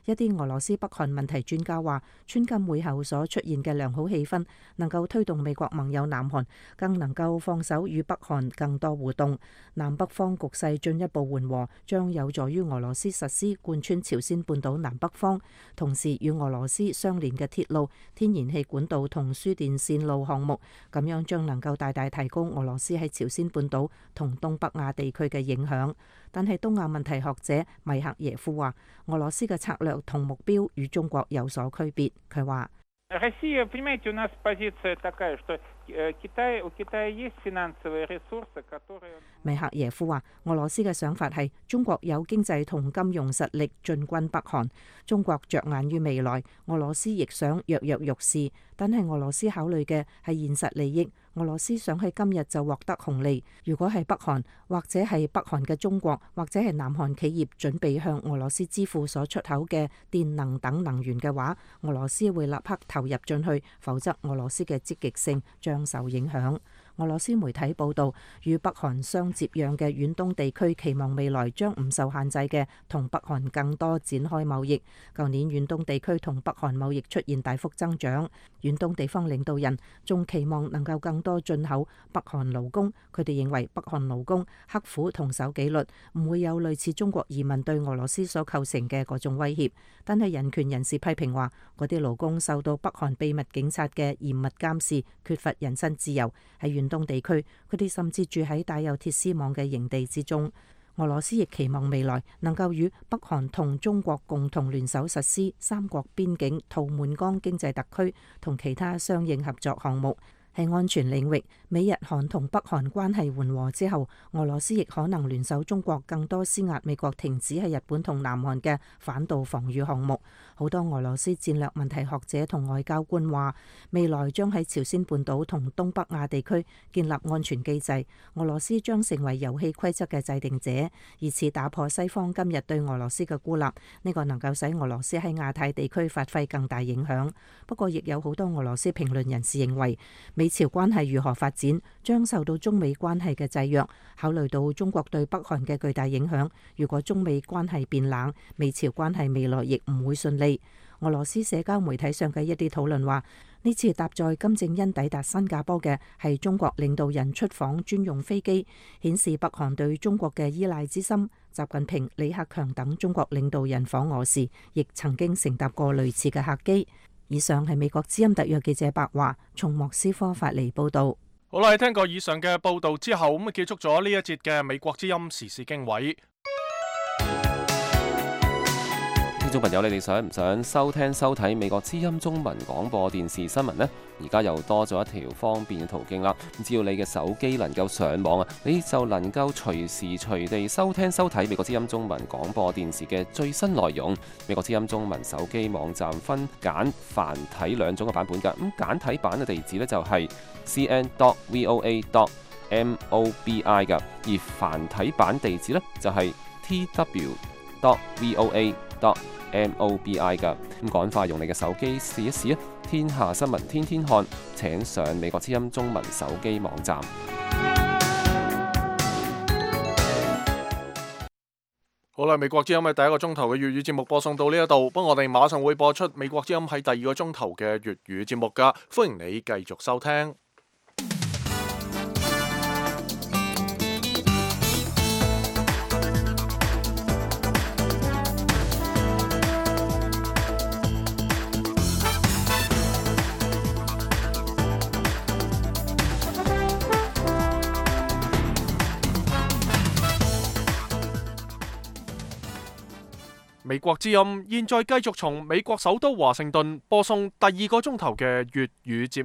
一啲俄羅斯北韓問題專家話，川金會後所出現嘅良好氣氛，能夠推動美國盟友南韓更能夠放手與北韓更多互動，南北方局勢進一步緩和，將有助於俄羅斯實施貫穿朝鮮半島南北方，同時與俄羅斯相連嘅鐵路、天然氣管道同輸電線路項目，咁樣將能夠大大提高俄羅斯喺朝鮮半島同東北亞地區嘅影響。但係東亞問題學者米克耶夫話，俄羅斯嘅策略同目標與中國有所區別。佢話：米克耶夫話，俄羅斯嘅想法係中國有經濟同金融實力進軍北韓，中國着眼於未來，俄羅斯亦想躍躍欲試，但係俄羅斯考慮嘅係現實利益。俄羅斯想喺今日就獲得紅利。如果係北韓，或者係北韓嘅中國，或者係南韓企業準備向俄羅斯支付所出口嘅電能等能源嘅話，俄羅斯會立刻投入進去，否則俄羅斯嘅積極性將受影響。俄羅斯媒體報導，與北韓相接壤嘅遠東地區期望未來將唔受限制嘅同北韓更多展開貿易。舊年遠東地區同北韓貿易出現大幅增長，遠東地方領導人仲期望能夠更多進口北韓勞工。佢哋認為北韓勞工刻苦同守紀律，唔會有類似中國移民對俄羅斯所構成嘅嗰種威脅。但係人權人士批評話，嗰啲勞工受到北韓秘密警察嘅嚴密監視，缺乏人身自由。喺遠東地區，佢哋甚至住喺帶有鐵絲網嘅營地之中。俄羅斯亦期望未來能夠與北韓同中國共同聯手實施三國邊境圖們江經濟特區同其他相應合作項目。喺安全領域，美日韓同北韓關係緩和之後，俄羅斯亦可能聯手中國更多施壓美國停止喺日本同南韓嘅反導防禦項目。好多俄羅斯戰略問題學者同外交官話，未來將喺朝鮮半島同東北亞地區建立安全機制，俄羅斯將成為遊戲規則嘅制定者，以此打破西方今日對俄羅斯嘅孤立。呢個能夠使俄羅斯喺亞太地區發揮更大影響。不過，亦有好多俄羅斯評論人士認為，美朝關係如何發展，將受到中美關係嘅制約。考慮到中國對北韓嘅巨大影響，如果中美關係變冷，美朝關係未來亦唔會順利。俄羅斯社交媒體上嘅一啲討論話，呢次搭載金正恩抵達新加坡嘅係中國領導人出訪專用飛機，顯示北韓對中國嘅依賴之深。習近平、李克強等中國領導人訪俄時，亦曾經乘搭過類似嘅客機。以上係美國之音特約記者白華從莫斯科發嚟報道。好啦，聽過以上嘅報道之後，咁啊結束咗呢一節嘅美國之音時事經緯。聽眾朋友，你哋想唔想收聽收睇美國之音中文廣播電視新聞呢？而家又多咗一條方便嘅途徑啦！只要你嘅手機能夠上網啊，你就能夠隨時隨地收聽收睇美國之音中文廣播電視嘅最新內容。美國之音中文手機網站分簡繁體兩種嘅版本㗎。咁簡體版嘅地址呢，就係 c n dot v o a dot M O B I 㗎，而繁體版地址呢，就係 T W dot V O A dot M O B I 㗎。咁趕快用你嘅手機試一試啊！天下新聞天天看，請上美國之音中文手機網站。好啦，美國之音嘅第一個鐘頭嘅粵語節目播送到呢一度，不過我哋馬上會播出美國之音喺第二個鐘頭嘅粵語節目噶，歡迎你繼續收聽。美國之音現在繼續從美國首都華盛頓播送第二個鐘頭嘅粵語節目。